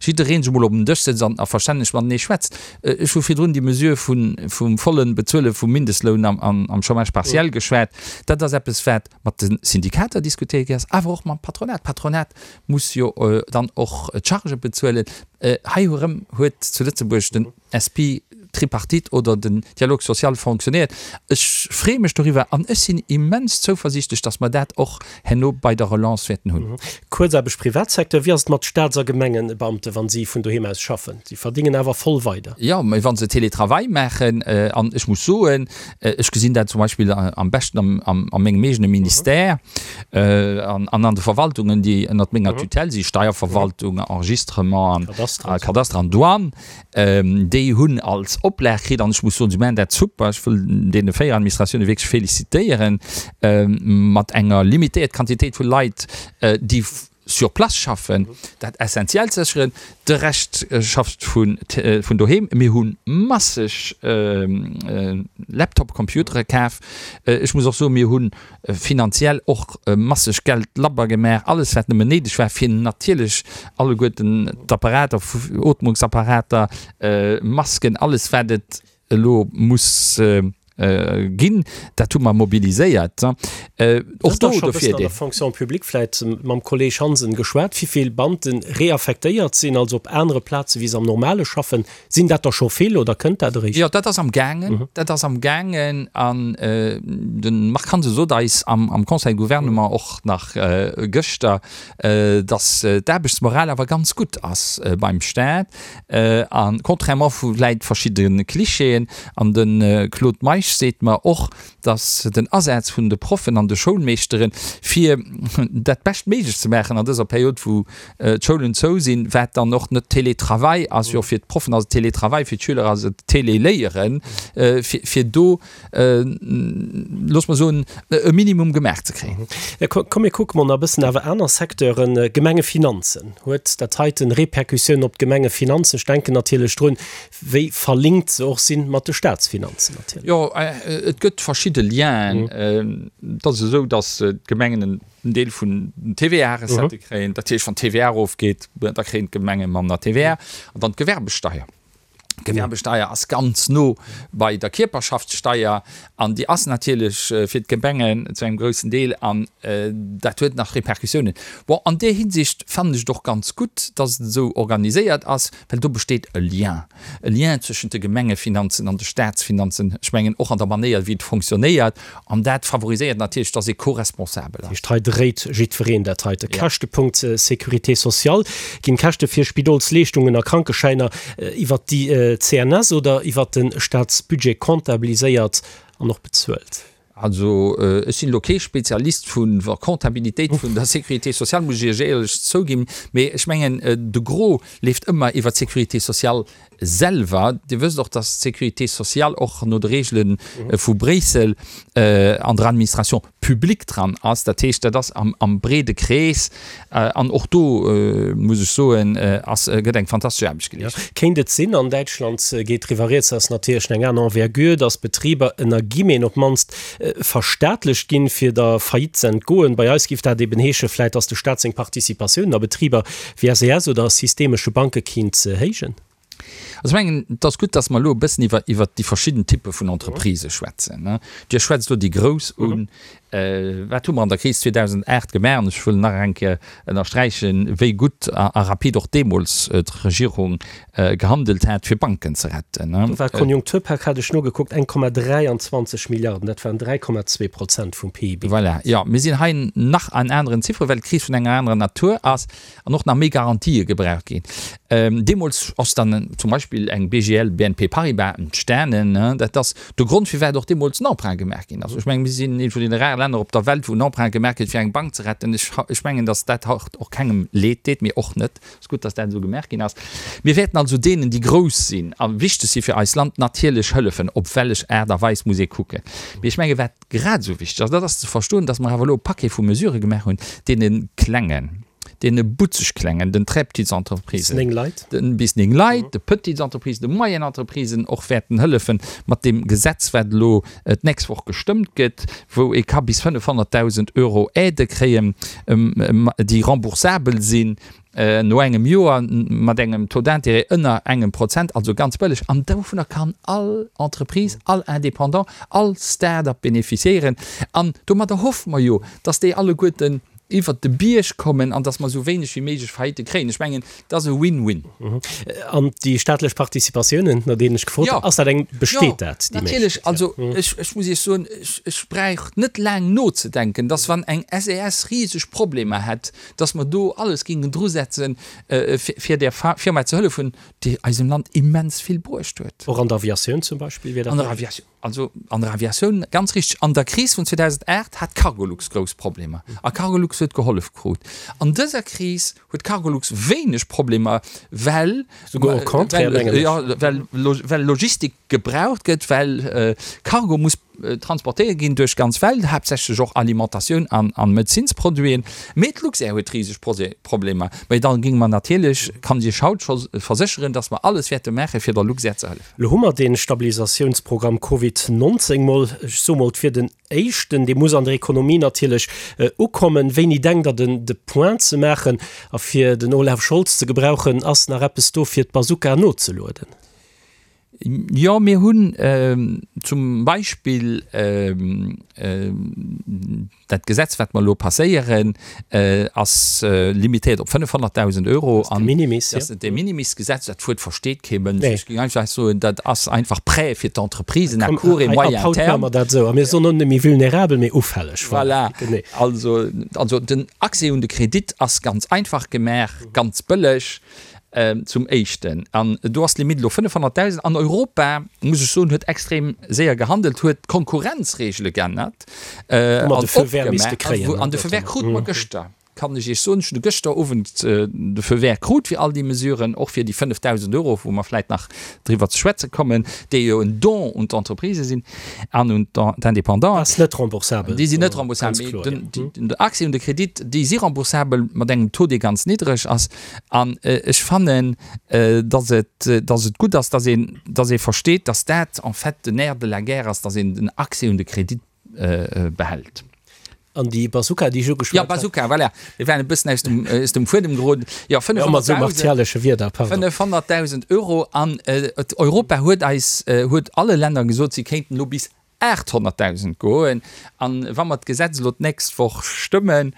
jidderee sech emol op den Dësch sëtzt an a verstänneg matenee schwätzt. Ech hu virdrun déi Mesure vum volle Bezuele vum Mindestloun am Chômage partiel geschwat. Dat ass eppes, wat mat de Syndikater diskutéiert gi ass, awer och mam Patronat. D'Patronat muss jo dann och d'Chargë bezuelen. Hei erëm huet zu Lëtzebuerg den S P Tripartite oder den Dialogue social fonctionnéiert. Ech freeë mech doriwwer an ech sinn immens zouversiichtlech, datt mer dat och herno bei der Relance wäerten hunn. Kuerzaarbecht Privatsecteur, Wéi ass et mat Staats a Gemengebeamten, wa si vun doheem aus schaffen? Si verdéngen awer voll weider. Jo, mä wa se Télétravail maachen, an ech muss soen, ech gesinn dat zum Beispill am beschten a mengem eegene Ministère an an de Verwaltungen, déi ënnert menger Tutelle sinn, Steierverwaltung, Enregistrement a Kadaster an Douane, déi hunn als Oplag kritt, an ech muss soen, si maachen dat super, ech wëll deene véier Administratioune wierklech félicitéieren, mat enger limitéiert Quantitéit vu Leit, déi sur place schaffen, dat Essentiellt sécheren, de Rescht schafft vun doheem. Mir hu masseg Laptop-Computere kaf. Ech muss och soen, mir hu finanziell och masseg Geld labber gemaach, alles wat nëmmen néideg war, fir natierlech alleguerten d'Apparater, Ootmungsapparater, Masken, alles wat et elo muss ginn, dat hu mer mobiliséiert. Och do e bëssen an der Fonction publique vläit mam Kolleg Hansen geschwat, wéi vill Beamte reaffektéiert sinn, also op anere Plaze wéi se am Normale schaffen. Sinn dat der scho vill oder kënnt dat eréischt? Jo, dat ass am gaangen. Dat ass am gaangen an de Marc Hansen sot eis am Conseil de Gouvernement och nach gëschter, datt d'Aarbechtsmoral awer ganz gutt ass beim Staat a contrairement vu vläit verschidde Klischeeën. An de Claude Meisch Meisch seet mer och, dass den Asaz vun de Proffen an de Schoulmeeschteren, fir dat Beschtméiglechst ze maachen an dëser Period, wou d'Schoulen zou sinn, wat dann och net Télétravail ass, jo fir d'Proffen ass et Télétravail, fir d'Schüler ass et Téléléieren, fir do, looss mer soen, e Minimum gemaach ze kréien. Komm mir kucke mol nach e bëssen awer aner Secteuren, Gemengefinanzen. Huet dat heiten Repercussiounen op d'Gemengefinanzen? Ech denken natierlech drun, wéi verlinkt se och sinn mat de Staatsfinanzen natierlech. Jo, et gëtt verschidde Lienen. Et ass esou, datt d'Gemengen en Deel vun den T V A-Recettë kréien. Dat heescht, wann d'T V A erofgeet, da kréien d'Gemenge manner T V A. An dann d'Gewerbesteier. D'Gewerbesteier ass ganz no bei der Kierperschaftssteier an déi ass natierlech fir d'Gemengen zu engem groussen Deel an dat huet nach Repercussiounen. Bon, an där Hinsicht fannen ech et och ganz gutt, dass et esou organiséiert ass, well do besteet e Lien, e Lien zwëschent de Gemengefinanzen an de Staatsfinanzen, ech mengen och an der Manéier wéi et fonctionnéiert an dat favoriséiert natierlech, dass ee co-responsabel ass. Dat heescht, hei dréit jiddwereen dat heite. Käschtepunkt Sécurité sociale, Ginn d'Käschte fir Spidolsleeschtungen a Krankeschäiner iwwert déi C N S oder iwwert de Staatsbudget comptabiliséiert an och bezuelt? Also ech sinn elo kee Spezialist vun der Comptabilitéit vun der Sécurité sociale, muss ech Iech éierlech zouginn, mee ech mengen de Gros leeft ëmmer iwwer d'Sécurité sociale selwer. Dir wësst och, dass d'Sécurité sociale och no de Regele vu Bréissel an der Administration publique dran ass. Dat heescht, dat ass am, am breede Krees an och do, muss ech soen, ass, gëtt eng fantastesch Aarbecht geleescht. Ja. Kéint et sinn, an Däitschland geet driwwer rieds, ass natierlech eng aner Envergure, dass Betriber ënner Guillemeten op d'mannst verstaatlecht ginn, fir der Faillite ze entgoen. Bei eis géif dat eben heesche vläit, dass de Staat seng Participatiounen a Betriber wéi S E S oder systemesche Banke kéint héijen. Also ech mengen, et ass gutt, dass mer elo e bëssen iwwer, iwwer déi verschidden Typpe vun Entreprisë schwätzen. Dir schwätzt elo déi grouss un. Wat hu mer an der Kris zweedausendacht gemaach? An ech wëll nach eng Kéier ënnersträichen, wéi gutt a, a rapid och deemools d'Regierung gehandelt hat, fir Banken ze retten. Do war d'Konjunkturpak, hat ech nogekuckt, eng Komma dräianzwanzeg Milliarden, dat waren dräi Komma zwee Prozent vum P I B. Voilà, jo, mir sinn hei nach an aneren Zifferen, well d'Kris vun enger anerer Natur ass an och nach méi Garantië gebraucht ginn. Deemools ass dann zum Beispill eng B G L, B N P Paribas entstanen. Dat ass de Grond, firwat och deemools en Emprunt gemaach ginn ass. Ech mengen, mir sinn ee vun deene rare Länner op der Welt, wou en Emprunt gemaach gëtt, fir eng Bank ze retten. Ech, ech mengen, datt dat haut och kengem Leed deet, mir och net. Et ass gutt, datt dat esou gemaach ginn ass. Mir wäerten also deenen, déi grouss sinn a wichteg si fir eist Land, natierlech hëllefen. Op wellech Aart a Weis muss ee kucken. Mee ech menge wat grad esou wichteg ass, dat ass ze verstoen, datt mer awer elo e Paquet vu Mesurë gemaach hunn, deene klengen, deene butzeg klengen, den très petites entreprises, Bis néng Leit. den bis néng Leit, de petites entreprises, de moyennes entreprisen och wäerten hëllefen mat deem Gesetz, wat elo d'nächst Woch gestëmmt gëtt, wou ee ka bis fënnefhonnertdausend Euro Aide kréien, déi remboursabel sinn no engem Joer mat engem Taux d'intérêt ënner engem Prozent, also ganz bëlleg. An dovunner kann all Entreprise, all Indépendant, all Start-up bénéficiéieren. An domadder hoffe mer jo, dass déi alleguerten iwwert de Bierg kommen an dass mer esou wéineg wéi méiglech Faillite kréien. Ech mengen, dat ass e Win-win. An déi staatlech Participatiounen, no deenen ech gefrot hunn, ass dat eng, besteet dat, déi Natierlech. Méiglechkeet? Also ech, ech muss Iech soen, ech, ech bräuch net laang nozedenken, dass wann eng S E S riseg Problemer hätt, dass mer do alles géingen drusetzen, fir, fir där Firma ze hëllefen, déi eisem Land immens vill bruecht huet. Och an der Aviatioun zum Beispill wier dat An der Aviatioun. Also an der Aviatioun, ganz richtig. An der Kris vun zweedausendacht hat Cargolux grouss Problemer. A Cargolux huet gehollef krut. An dëser Kris huet Cargolux wéineg Problemer, well Souguer au contraire, mengen ech. Ja, well well Logistik gebraucht gëtt, well Cargo muss transportéiert ginn duerch d'ganz Welt, haaptsächlech och Alimentatioun an, an Medezinsproduiten. Mee d'Luxair huet riseg Problemer. Mee dann géinge mer natierlech, kann ech Iech haut scho versécheren, dass mer alles wäerte maachen, fir der Luxair ze hëllefen. Lo hu mer dee Stabilisatiounsprogramm Covid neunzehn mol, ech soe mol, fir den éischten, dee muss an der Ekonomie natierlech ukommen. Wéini denkt Der den de Point ze maachen a fir den Olaf Scholz ze gebrauchen, ass nach eppes do fir d'Bazooka nozelueden? Jo, mir hunn zum Beispill dat Gesetz, wat mer elo passéieren, ass limitéiert op fënnefhonnertdausend Euro. Dat ass de Minimis, ja. Dat ass de Minimis-Gesetz. Dat Wuert versteet kee Mënsch. Ech géing einfach soen, dat ass einfach Prêt fir d'Entreprisen à court et moyen terme. Ab haut maache mer dat esou. A mir soen och net méi vulnerabel, mee ufälleg. Voilà. Also, also den Accès un de Kredit ass ganz einfach gemaach, ganz bëlleg. Zum Éischten. An do ass d'Limite elo fënnefhonnertdausend. An Europa, muss ech soen, huet extrem séier gehandelt, huet d'Konkurrenzregele geännert Wou mer de Feu vert misste kréien, an de Feu vert krute mer gëschter, kann ech Iech soen. Ech hunn de gëschter Owend de Feu vert krut fir all déi Mesuren, och fir déi fënnefdausend Euro, wou mer vläicht nach driwwer ze schwätze kommen, déi jo en Don un d'Entreprisë sinn an un d'Indépendanten. Ass net remboursabel. Déi sinn net remboursabel, mee den, den Accès un de Kredit, déi si remboursabel mat engem Taux, dee ganz niddreg ass. An ech fannen, dass et, dass et gutt ass, dass een, dass ee versteet, dass dat en fait den Nerf de la guerre ass, dass een den Accès un de Kredit behält. An déi Bazooka, déi ech ugeschwat hat. Jo, Bazooka, voilà. Mir waren e bëssen aus dem, aus dem Fuedem geroden. Jo, fënnefhonnertdausend. Ëmmer esou martialesche Wierder, pardon. Fënnefhonnertdausend Euro. An Europa huet eis, huet alle Länner gesot, si kéinten elo bis aathonnertdausend goen. An wa mer d'Gesetz elo d'nächst Woch stëmmen,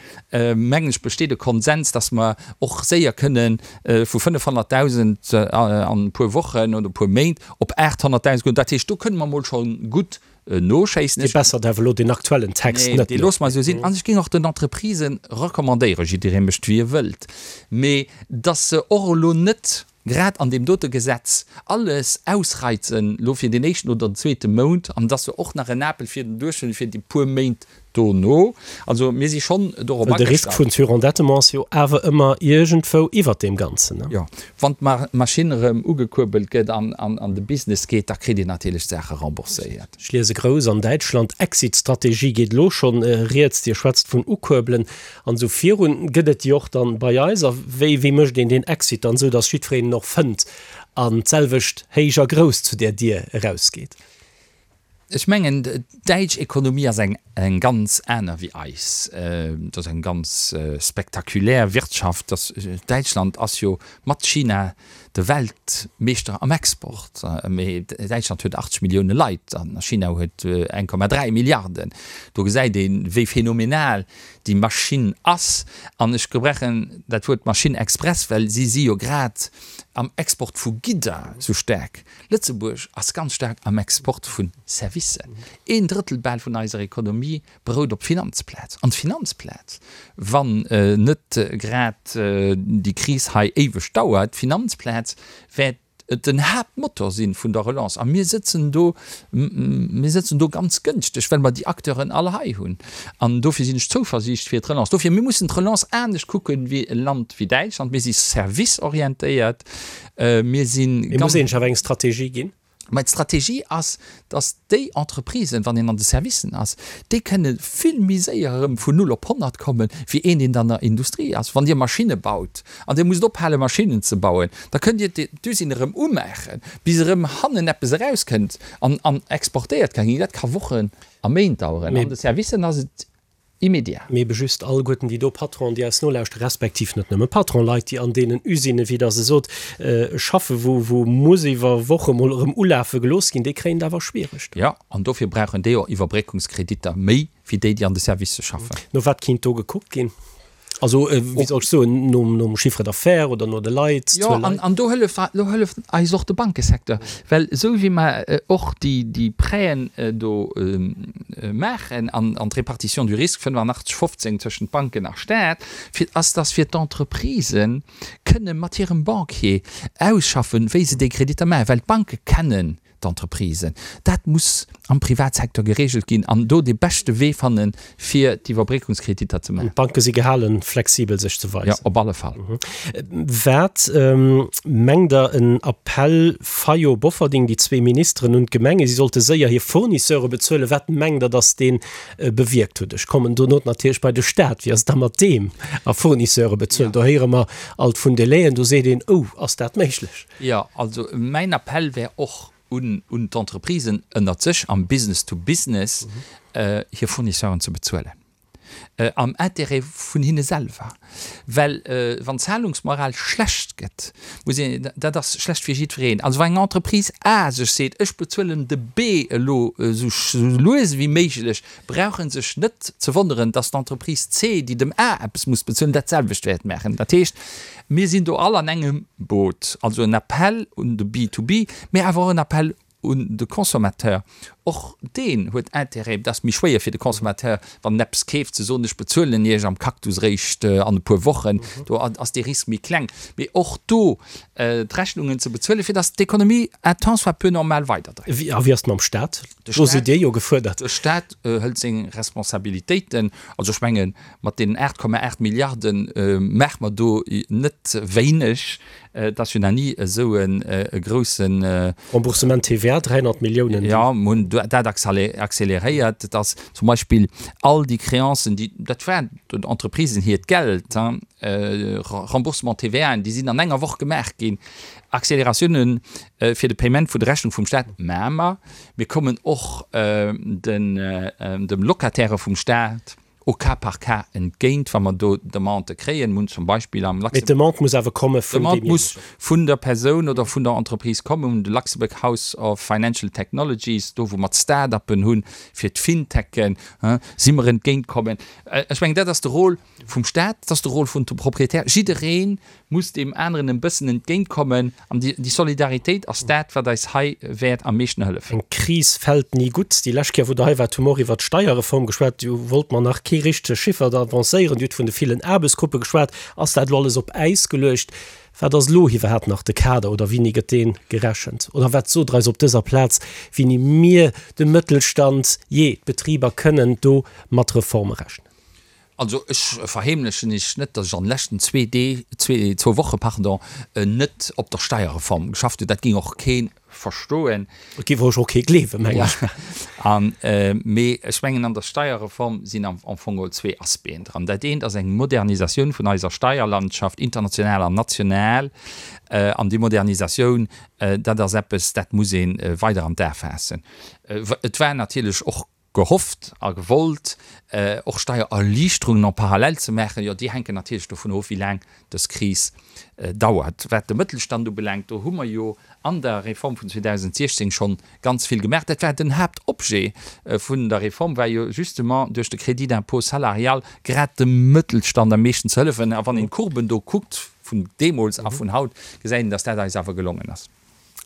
mengen ech, besteet e Konsens, dass mer och séier kënne vu fënnefhonnertdausend an e puer Wochen oder e puer Méint op aathonnertdausend goen. Dat heescht, do kënne mer emol scho gutt noschéissen. Dir bessert awer elo deen aktuellen Text net. Nee, dee loosse mer esou sinn. An ech géing och den Entreprisen recommandéieren, jidderee mécht wéi e wëllt, mee dass se och elo net grad an deem dote Gesetz alles ausreizen elo fir deen éischten oder den zweete Mount an dass se och nach en Apel fir den Duerchschnëtt fir déi puer Méint dono. Also mir si schonn dorop Well de Risk agestallt. vun Surendettement ass jo awer ëmmer iergendwou iwwert deem Ganzen, ne? Jo, wann d'Maschinn erëm ugekuerbelt gëtt an an de Business geet, da kritt een natierlech d'Saache rembourséiert. Ech liese grouss an Däitschland, Exit-Strategie geet elo schonn rieds. Dir schwätzt vun ukuerbelen an esou virun. Gëtt et déi och dann bei eis? A wéi, wéi mécht een deen Exit dann esou, datt jiddwereen en och fënnt an d'selwecht héich a grouss zu där Dier erausgeet? Ech mengen, d'däitsch Ekonomie ass eng eng ganz aner wéi eis. Et ass eng ganz spektakulär Wirtschaft. Däitschland ass jo mat China de Weltmeeschter am Export. Mee Däitschland huet achtzeg Millioune Leit an China huet eng Komma dräi Milliarden. Do gesäit een, wéi phänomenal déi Maschinn ass. An ech gebrauchen dat Wuert Maschinn express, well si si jo grad am Export vu Gidder sou staark. Lëtzebuerg ass ganz staark am Export vu Servicen. Een Drëttel bal vun eiser Ekonomie berout op Finanzplaz. An d'Finanzplaz, wann net grad déi Kris hei éiweg dauert, d'Finanzplaz wäert den Haaptmotor si vun der Relance. A mir sëtzen do, mir sëtzen do ganz gënschteg, well mer déi Acteuren all hei hunn. An dofir sinn ech zouversiicht fir d'Relance. Dofir, mir mussen d'Relance anescht kucken wéi e Land wéi Däitschland. Mir si serviceorientéiert. Mir si Mee muss een sech awer eng Strategie ginn? Mä d'Strategie ass, datt déi Entreprisen, wann een an de Servicen ass, déi kënne vill méi séier erëm vun null op honnert kommen, wéi een, deen an der Industrie ass. Wann Dir Maschinne baut an Dir musst ophale Maschinnen ze bauen, da kënnt Dir d'Usine erëm umaachen, bis erëm hannen eppes erauskënnt an an exportéiert ka ginn. Dat ka Wochen a Méint daueren. An de Servicen ass et immédiat. Mee ebe just alleguerten déi do Patronen, déi eis nolauschteren, respektiv net nëmme Patronen, Leit, déi an deenen Usinen, wéi Der se sot, schaffen, wou, wou muss iwwer Woche mol erëm ulafe gelooss ginn, déi kréien et awer schwiereg. Jo, an dofir brauchen déi och Iwwerbréckungskreditter méi wéi déi, déi an de Servicë schaffen. No wat kinnt do gekuckt ginn? Also, wéi soll ech soen, nom, nom Chiffre d'affaires oder no de Leit, Jo, Zuel an, Leit? an do hëlleft, do hëlleft eis och de Bankesecteur, well esou wéi mer och déi, déi Prêten do maachen an, an d'Répartition du risque fënnefanachteg, fofzéng tëschent Banken a Staat, fir, ass, dass fir d'Entreprisen kënne mat hirem Banquier ausschaffen, wéi se déi Kreditter maachen, well d'Banke kennen d'Entreprisen. Dat muss am Privatsecteur geregelt ginn an do dee beschte Wee fannen, fir d'Iwwerbréckungskreditter ze An maachen. d'Banke si gehalen, flexibel sech ze Jo, weisen. op alle Fall. Wat mengt Der, en Appell Fayot, Bofferding, déi zwee Ministeren, un d'Gemenge, si sollte séier hir Fournisseure bezuelen, wat mengt Der, datt dee bewierkt huet? Ech kommen dono natierlech bei de Staat. Wéi ass et da mat deem a Fournisseure bezuelen? Do héiere mer alt vun Delaien, do seet een, Oh, ass dat méiglech? Jo, also mäin Appell wär och un un d'Entreprisen ënnert sech am Business to Business, hir Fournisseuren ze bezuelen, am Intérêt vun hinne selwer, well wann d'Zahlungsmoral schlecht gëtt, muss een, dat ass schlecht fir jiddwereen. Also wa eng Entreprise A sech seet, ech bezuelen de B elo esou lues ewéi méiglech, brauch e sech net ze wonneren, datt d'Entreprise C, déi dem A eppes muss bezuelen, dat selwecht wäert maachen. Dat heescht, mir sinn do all an engem Boot. Also en Appell un de B to B, mä awer och en Appell un de Consommateur, Och deen huet Intérêt. Et ass méi schwéier fir de Consommateur, wann en eppes keeft, ze soen, ech bezuelen Iech am Cactus réischt an e puer Wochen. Do ass dee Risk méi kleng. Mee och do d'Rechnungen ze bezuelen, fir datt d'Ekonomie un tant soit peu normal weiderdréit. A wéi ass et mam Staat? Do sidd Dir jo gefuerdert. De Staat hëlt seng Responsabilitéiten. Also ech mengen, mat deenen aacht Komma aacht Milliarde maache mer do net wéineg. Et ass jo nach ni esou e grousse. Remboursement T V A, dräihonnert Milliounen. Jo, mer hunn dat accéléréiert. Et ass zum Beispill all déi Créancen, déi, dat war den Entreprisen hiert Geld, Remboursement T V Aen, déi sinn an enger Woch gemaach ginn. Accélératiounen fir de Paiement vun de Rechnung vum Staat maache mer. Mir kommen och dem Locataire vum Staat au cas par cas entgéint, wa mer do Demandë kréien. Mir hunn zum Beispill am Mee d'Demande muss awer komme vun D'Demande deemjéinegen. muss vun der Persoun oder vun der Entreprise kommen. Mir hunn de Luxembourg House of Financial Technologies, do wou mer d'Start-uppen hunn, fir d'Fintechen, si mer entgéintkommen. Ech mengen, dat ass de Rôle vum Staat, dat ass de Rôle vun de Propriétaire. Jidderee muss deem aneren e bëssen entgéintkommen an déi Solidaritéit ass dat, wat eis hei wäert am meeschten hëllefen. Eng Kris fält ni gutt. Déi lescht Kéier, wou Der hei waart, hu mer och iwwert d'Steierreform geschwat. Do wollt mer nach kee richtege Chiffer da avancéieren. Dir hutt vun de villen Aarbechtsgruppe geschwat. Ass dat elo alles op Äis geluecht? Wat ass elo iwwerhaapt nach de Kader oder wéini gëtt dee gerechent? Oder wat sot Der eis op dëser Plaz, wéini mir, de Mëttelstand, jee, d'Betriber kënnen do mat Reforme rechnen? Also ech verheemlechen Iech net, datt ech an de leschten zwee Dee, zwee, zwou Woche, pardon, net op der Steierreform geschafft hunn. Dat géing och kee verstoen. Et géif och kee gleewen, mengen ech. An, mee ech mengen, an der Steierreform sinn am, am Fong geholl zwee Aspecten dran. Dat eent ass eng Modernisatioun vun eiser Steierlandschaft, international an national. An déi Modernisatioun, dat ass eppes, dat muss ee weider an d'A faassen. Et war natierlech och gehofft a gewollt, och Steiererliichterungen en parallèle ze maachen, jo, déi hänken natierlech dovun of, wéi laang dës Kris dauert. Wat de Mëttelstand ubelaangt, do hu mer jo an der Reform vun zweedausendsechzéng schonn ganz vill gemaach. Dat war den Haaptobjet vun der Reform, war jo justement duerch de Crédit d'impôt salarial grad dem Mëttelstand am meeschten ze hëllefen. A wann een d'Courben do kuckt vun deemools a vun haut, gesäit een, dass dat eis awer gelongen ass.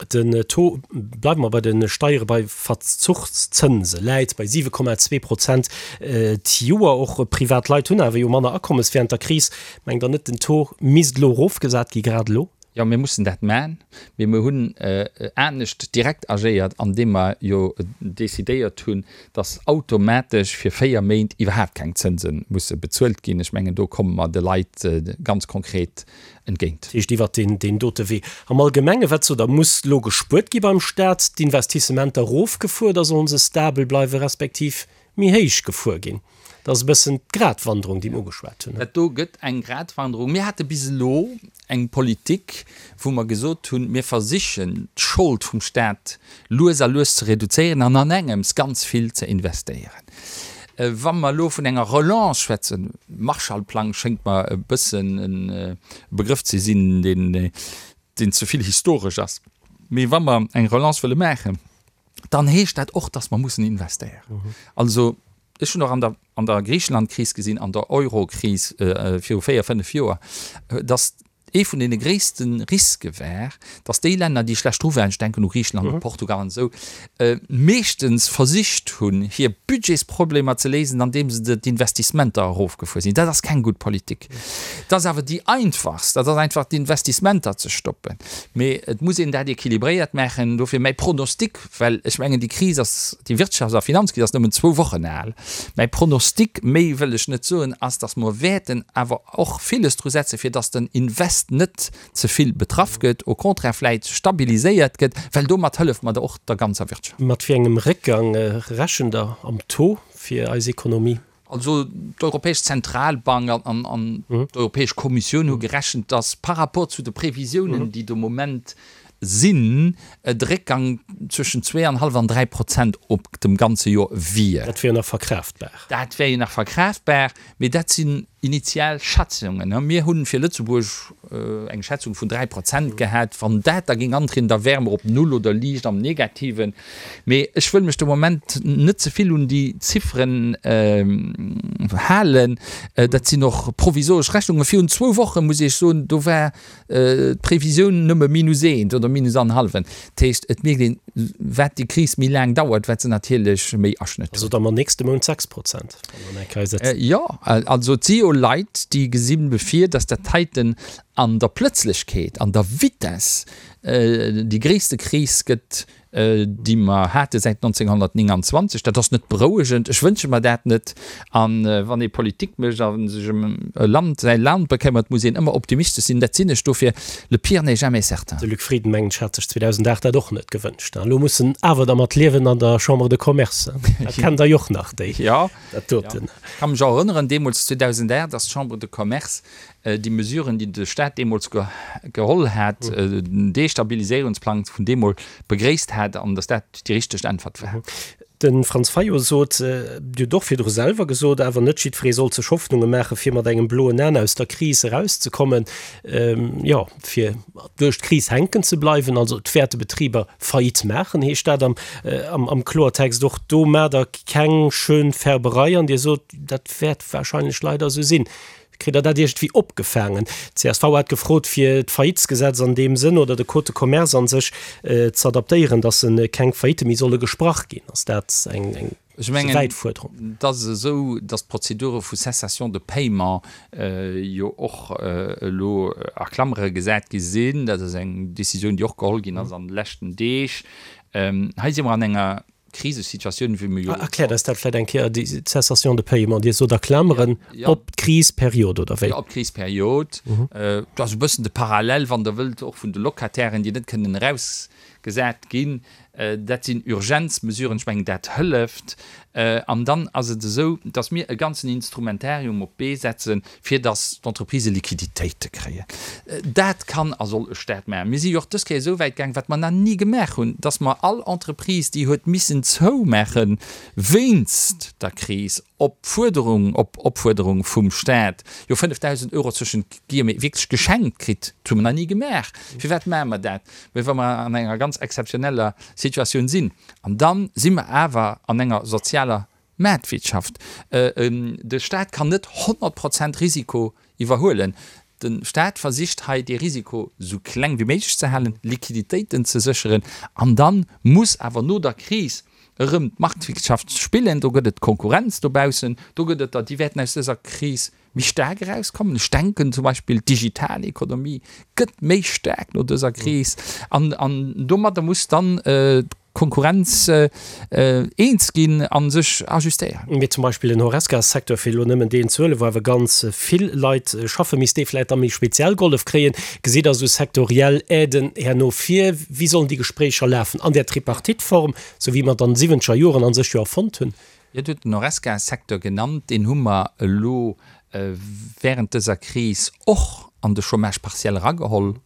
Den Taux, bleiwe mer bei de Steiere, bei Verzuchszënse läit bei siwe Komma zwee Prozent d'Joer. Och privat Leit hunn awer jo manner Akommes während der Kris. Mengt Der net, den Taux misst elo erofgesat gi, grad elo? Jo, mir mussen dat man, mee mir hunn anescht direkt agéiert, andeem mer jo decidéiert hunn, dass automatesch fir véier Méint iwwerhaapt keng Zënse musse bezuelt ginn. Ech mengen, do komme mer de Leit ganz konkret entgéint. Dat heescht iwwert deen dote Wee. Am Allgemenge, wat sot Der, muss elo gespuert gi beim Staat, d'Investissementer erofgefuer oder sollen se stabel bleiwen, respektiv méi héich gefuer ginn? Dat ass e bëssen d'Gratwanderung, déi mir ugeschwat hunn. Dat do gëtt eng Gratwanderung. Mir hate bis elo eng Politik, wou mer gesot hunn, mir versichen d'Schold vum Staat lues a lues ze reduzéieren an an engems ganz vill ze investéieren. Wa mer elo vun enger Relance schwätzen, Marshallplang schéngt mer e bëssen e Begrëff ze sinn, deen, deen ze vill historesch ass, mee wa mer eng Relance wëlle maachen, dann heescht dat och, dass mer mussen investéieren. Also ech hunn och an der, an der Griichelandkris gesinn, an der Eurokris viru véier, fënnef Joer, dass ee vun deene gréisste Riske war, dass déi Länner, déi schlecht dru waren, ech denken u Griicheland, u Portugal an esou, meeschtens versicht hunn, hir Budgetsproblemer ze léisen, andeem se d'Investissementer erofgefuer sinn. Dat ass keng gutt Politik. Dat ass awer déi einfachst, dat ass einfach d'Investissementer ze stoppen. Mee et muss een dat équilibréiert maachen. Dofir mäi Pronostic, well ech mengen, déi Kris ass, déi Wirtschafts a Finanzkris ass nëmmen zwou Wochen al, mäi Pronostic, méi wëll ech net soen, ass, dass mer wäerten awer och villes dru setzen, fir dass den Invest net ze vill betraff gëtt, au contraire vläit stabiliséiert gëtt, well domat hëlleft mer och der ganzer Wirtschaft. Mat wéi engem Réckgang rechent Der am Taux fir eis Ekonomie? Also d'Europäesch Zentralbank an, an d'Europäesch Kommissioun hu gerechent, dass par rapport zu de Previsiounen, déi de Moment sinn, de Réckgang zwëschen zwee an hallef an dräi Prozent op dem ganze Joer wier. Dat wier jo nach verkraaftbar. Dat wär jo nach verkraaftbar, mee dat sinn initial Schätzungen. Mir hunn fir Lëtzebuerg eng Schätzung vun dräi Prozent gehat. Wann dat da géing antrieden, da wäre mer op Null oder liicht am Negativen. Mee ech wëll mech de Moment net ze vill un déi Zifferen halen. Dat sinn och provisoersch Rechnungen. Virun zwou Woche muss ech soen, do war d'Previsioun nëmme minus eent oder minus annerhallwen. Dat heescht, et mierkt een, wat déi Kris méi laang dauert, wat se natierlech méi Aschnëtt huet. Also da mer nächste Mount sechs Prozent, wann mer eng Kéier setzen. Jo, also et si jo Leit, déi gesinn bevir, datt dat heiten an der Plëtzlechkeet, an der Vitess déi gréisste Kris gëtt, déi mer hate säit nonzénghonnertnénganzwanzeg. Dat ass net berouegend. Ech wënsche mer dat net. A wann ee Politik mécht a sech ëm e Land, säi Land bekëmmert, muss een ëmmer optimistesch sinn. Dat sinn ech. Dofir, le pire n'est jamais certain. De Luc Frieden, mengen ech, hat sech zweedausendacht dat och net gewënscht. Elo muss en awer dermat liewen an der Chambre de Commerce. Dat kennt Der jo och nach, déi, dat doten. Ech ka mech och erënneren, deemools zweedausendacht, dass d'Chambre de Commerce déi Mesuren, déi de Staat deemools geholl hat, den Destabiliséierungsplang vun deemol, begréisst hat an datt dat déi richteg Äntwert war. De Franz Fayot sot, Dir hutt och virdru selwer gesot, awer net jiddweree sollt sech Hoffnunge maachen, fir mat engem bloen An aus der Kris erauszekommen, jo, fir duerch d'Kris hänken ze bleiwen. Also et wäerte Betriber Faillite maachen, heescht dat am Kloertext. Och do maacht Der keng schön Färberei an Dir sot, dat wäert wahrscheinlech leider esou sinn. Kritt Der dat iergendwéi opgefaangen? D'CSV hat gefrot, fir d'Faillitesgesetz an deem Sënn oder de Code de commerce a sech ze adaptéieren, datt keng Faillitte méi solle gesprach ginn. Ass dat eng ze wäit Fuerderung? Ech mengen, et ass esou, datt d'Prozedure vu Cessation de paiement jo och elo a Klammere gesat gi sinn. Dat ass eng Décisioun, déi och geholl ginn ass an de leschten Deeg. Hei si mer an enger Krisesituatioun, wéi mer jo. Erkläert eis dat vläicht eng Kéier, déi Cessation de paiement. Dir sot a Klameren, op d'Krisperiod, oder wéi? Jo, op d'Krisperiod. Dat ass e bëssen de Parallel, wann Der wëllt, och vun de Locatairen, déi net kënnen erausgesat ginn. Dat sinn Urgenzmesuren. Ech mengen, dat hëlleft. An dann ass et esou, dass mir e ganzen Instrumentarium op d'Bee setzen, fir dass d'Entreprisë Liquiditéite kréien. Dat kann a soll e Staat maachen. Mir si jo och dës Kéier esou wäit gaang, wat mer nach ni gemaach hunn, dass mer all Entreprise, déi huet missen zoumaache wéinst der Kris, op Fuerderung, op Opfuerderung vum Staat, jo fënnefdausend Euro zwëschent Guillemets wierklech geschenkt kritt. Dat hu mer nach ni gemaach. Firwat maache mer dat? Well mer an enger ganz exzeptioneller Situatioun sinn. An da si mer awer an enger sozialer Maartwirtschaft. De Staat kann net honnert Prozent Risiko iwwerhuelen. De Staat versicht hei dee Risiko esou kleng wéi méiglech ze halen, Liquiditéiten ze sécheren. An da muss awer no der Kris erëm d'Marktwirtschaft spillen. Do gëtt et Konkurrenz dobaussen, do gëtt et der, déi wäerten aus dëser Kris méi staark erauskommen. Ech denken zum Beispill d'digital Ekonomie gëtt méi staark no dëser Kris an domadder muss dann d'Konkurrenz eens ginn a sech ajustéieren. Mee zum Beispill den Horesca-Secteur, fir elo nëmmen deen ze huelen, wou awer ganz vill Leit schaffen, misst dee vläicht da méi speziell gehollef kréien. Gesitt Der esou sektoriell Aiden herno vir? Wéi sollen déi Gespréicher lafen? An där Tripartite-Form, esou wéi mer et an de siwwenzeger Joren a sech jo erfonnt hunn? Dir hutt den Horesca-Secteur genannt, deen hu mer elo während dëser Kris och an de Chômage partiel erageholl.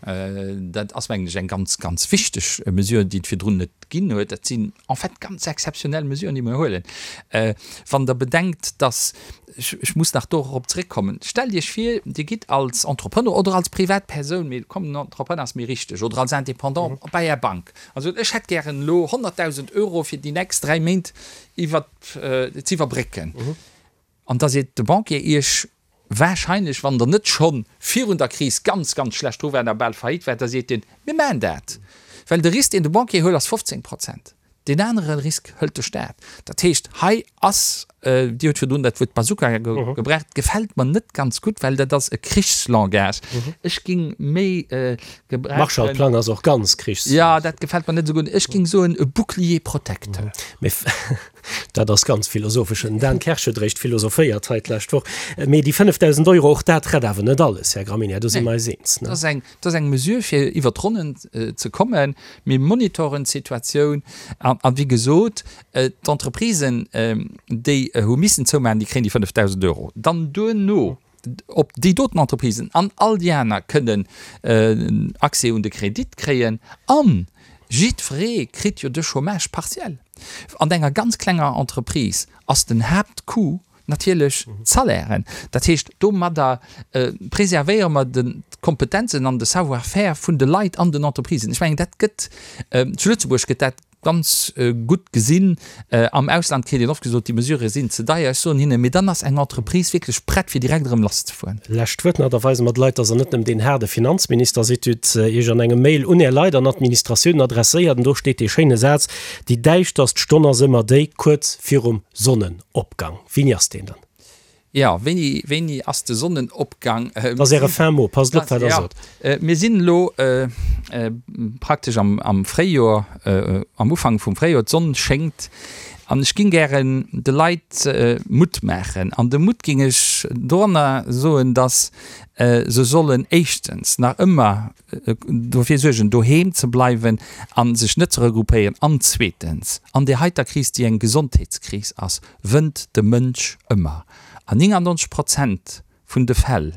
Dat ass, mengen ech, eng ganz, ganz wichteg Mesure, déi et virdrun net ginn huet. Dat sinn en fait ganz exzeptionell Mesuren, déi mer huelen. Wann Der bedenkt, dass, ech muss nach dorop zréckkommen, stellt Iech vir, Dir gitt als Entrepreneur oder als Privatpersoun, mee komm, den Entrepreneur ass méi richteg, oder als Indépendant bei Är Bank a sot, ech hätt gären elo honnertdausend Euro fir déi nächst dräi Méint iwwer ze iwwerbrécken. An da seet de Banquier Iech warscheinlech, wann Der net scho virun der Kris ganz, ganz schlecht dru waart a bal faillite waart, da seet deen, Mir maachen dat, well de Risk, deen de Banquier huet, ass fofzéng Prozent, deen anere Risk hëlt de Staat. Dat heescht, hei ass, Dir hutt virdrun dat Wuert Bazooka gebraucht, gefält mer net ganz gutt, well dat ass e Krichslangage. Ech géing méi gebrauchen. Marshallplang ass och ganz krichs. Jo, dat gefält mer net esou gutt. Ech géing soen e Bouclier protecteur. Mee dat ass ganz philosophesch. Den Dan Kersch huet eréischt philosophéiert hei d'lescht Woch. Mee déi fënnefdausend Euro, och dat rett awer net alles, Här Gramegna, do si mer eis eens, ne? Dat ass eng, dat ass eng Mesure, fir iwwert d'Ronnen ze kommen. Mir monitoren d'Situatioun an, an wéi gesot, d'Entreprisen, déi hu missen zoumaachen, déi kréien déi fënnefdausend Euro. Dann duerno, ob déi doten Entreprisen an all déi aner kënnen Accès un de Kredit kréien. An jiddweree kritt jo de Chômage partiel. An enger ganz klenger Entreprise ass den Haaptcoût natierlech d'Salairen. Dat heescht, domadder preservéiere mer d'Kompetenzen an de Savoir-faire vun de Leit an den Entreprisen. Ech mengen, dat gëtt, zu Lëtzebuerg gëtt dat ganz gutt gesinn. Am Ausland kritt een oft gesot, déi Mesurë sinn ze deier. Ech soen hinnen, mee dann ass eng Entreprise wierklech prett, fir direkt erëm lasszefueren. Lescht Wuert nach, da weise mer de Leit, dass Der net nëmmen deen haarde Finanzminister sidd. Dir hutt Iech an engem Mail un Är Leit an Administratiounen adresséiert an do steet dee schéine Saz, Déi däischterst Stonn ass ëmmer déi kuerz virum Sonnenopgang. Wéini ass deen dann? Jo, wéini, wéini ass de Sonnenopgang? Dat ass Äre fin mot, passt op, wat Der sot. Mir sinn elo praktesch am, am Fréijoer, am Ufank vum Fréijoer, d'Sonn schéngt an ech géing gären de Leit Mutt maachen. An de Mutt géing ech doranner soen, datt se sollen éischtens nach ëmmer dofir suergen, doheem ze bleiwen a sech net ze regroupéieren an zweetens, an där heiter Kris, déi eng Gesondheetskris ass, wënnt de Mënsch ëmmer. An néngannonzeg Prozent vun de Fäll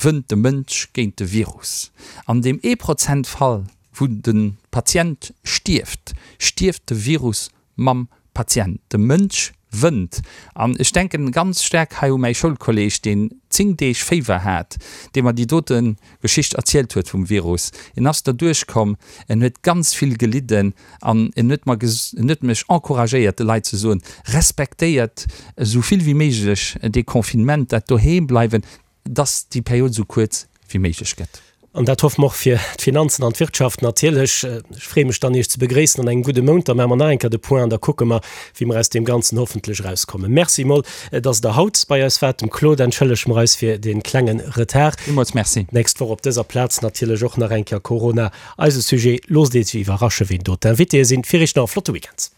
wënnt de Mënsch géint de Virus. An deem ee Prozent Fall, wou de Patient stierft, stierft de Virus mam Patient. De Mënsch wënnt. An ech denken ganz staark hei u mäi Schoulkolleg, deen zéng Deeg Féiwer hat, dee mer déi dote Geschicht erzielt huet vum Virus. En ass derduerch komm, en huet ganz vill gelidden an en huet mer, en huet mech encouragéiert, de Leit ze soen, Respektéiert esou vill wéi méiglech dee Confinement, dat Doheembleiwen, dass déi Period esou kuerz wéi méiglech gëtt. An dat hoffe mer och fir d'Finanzen an d'Wirtschaft natierlech. Ech freeë mech dann, Iech ze begréissen an engem gudde Mount. Da maache mer nach eng Kéier de Point an da kucke mer, wéi mer aus deem Ganzen hoffentlech erauskommen. Merci emol, dass Der haut bei eis waart. Dem Claude entschëllege mer eis fir dee klenge Retard. Villmools Merci. D'nächst Woch op dëser Plaz natierlech och nach eng Kéier Corona eise Sujet. Loosst Iech iwwerrasche wien do d'Invitéë sinn. Fir Iech nach e flotte Weekend.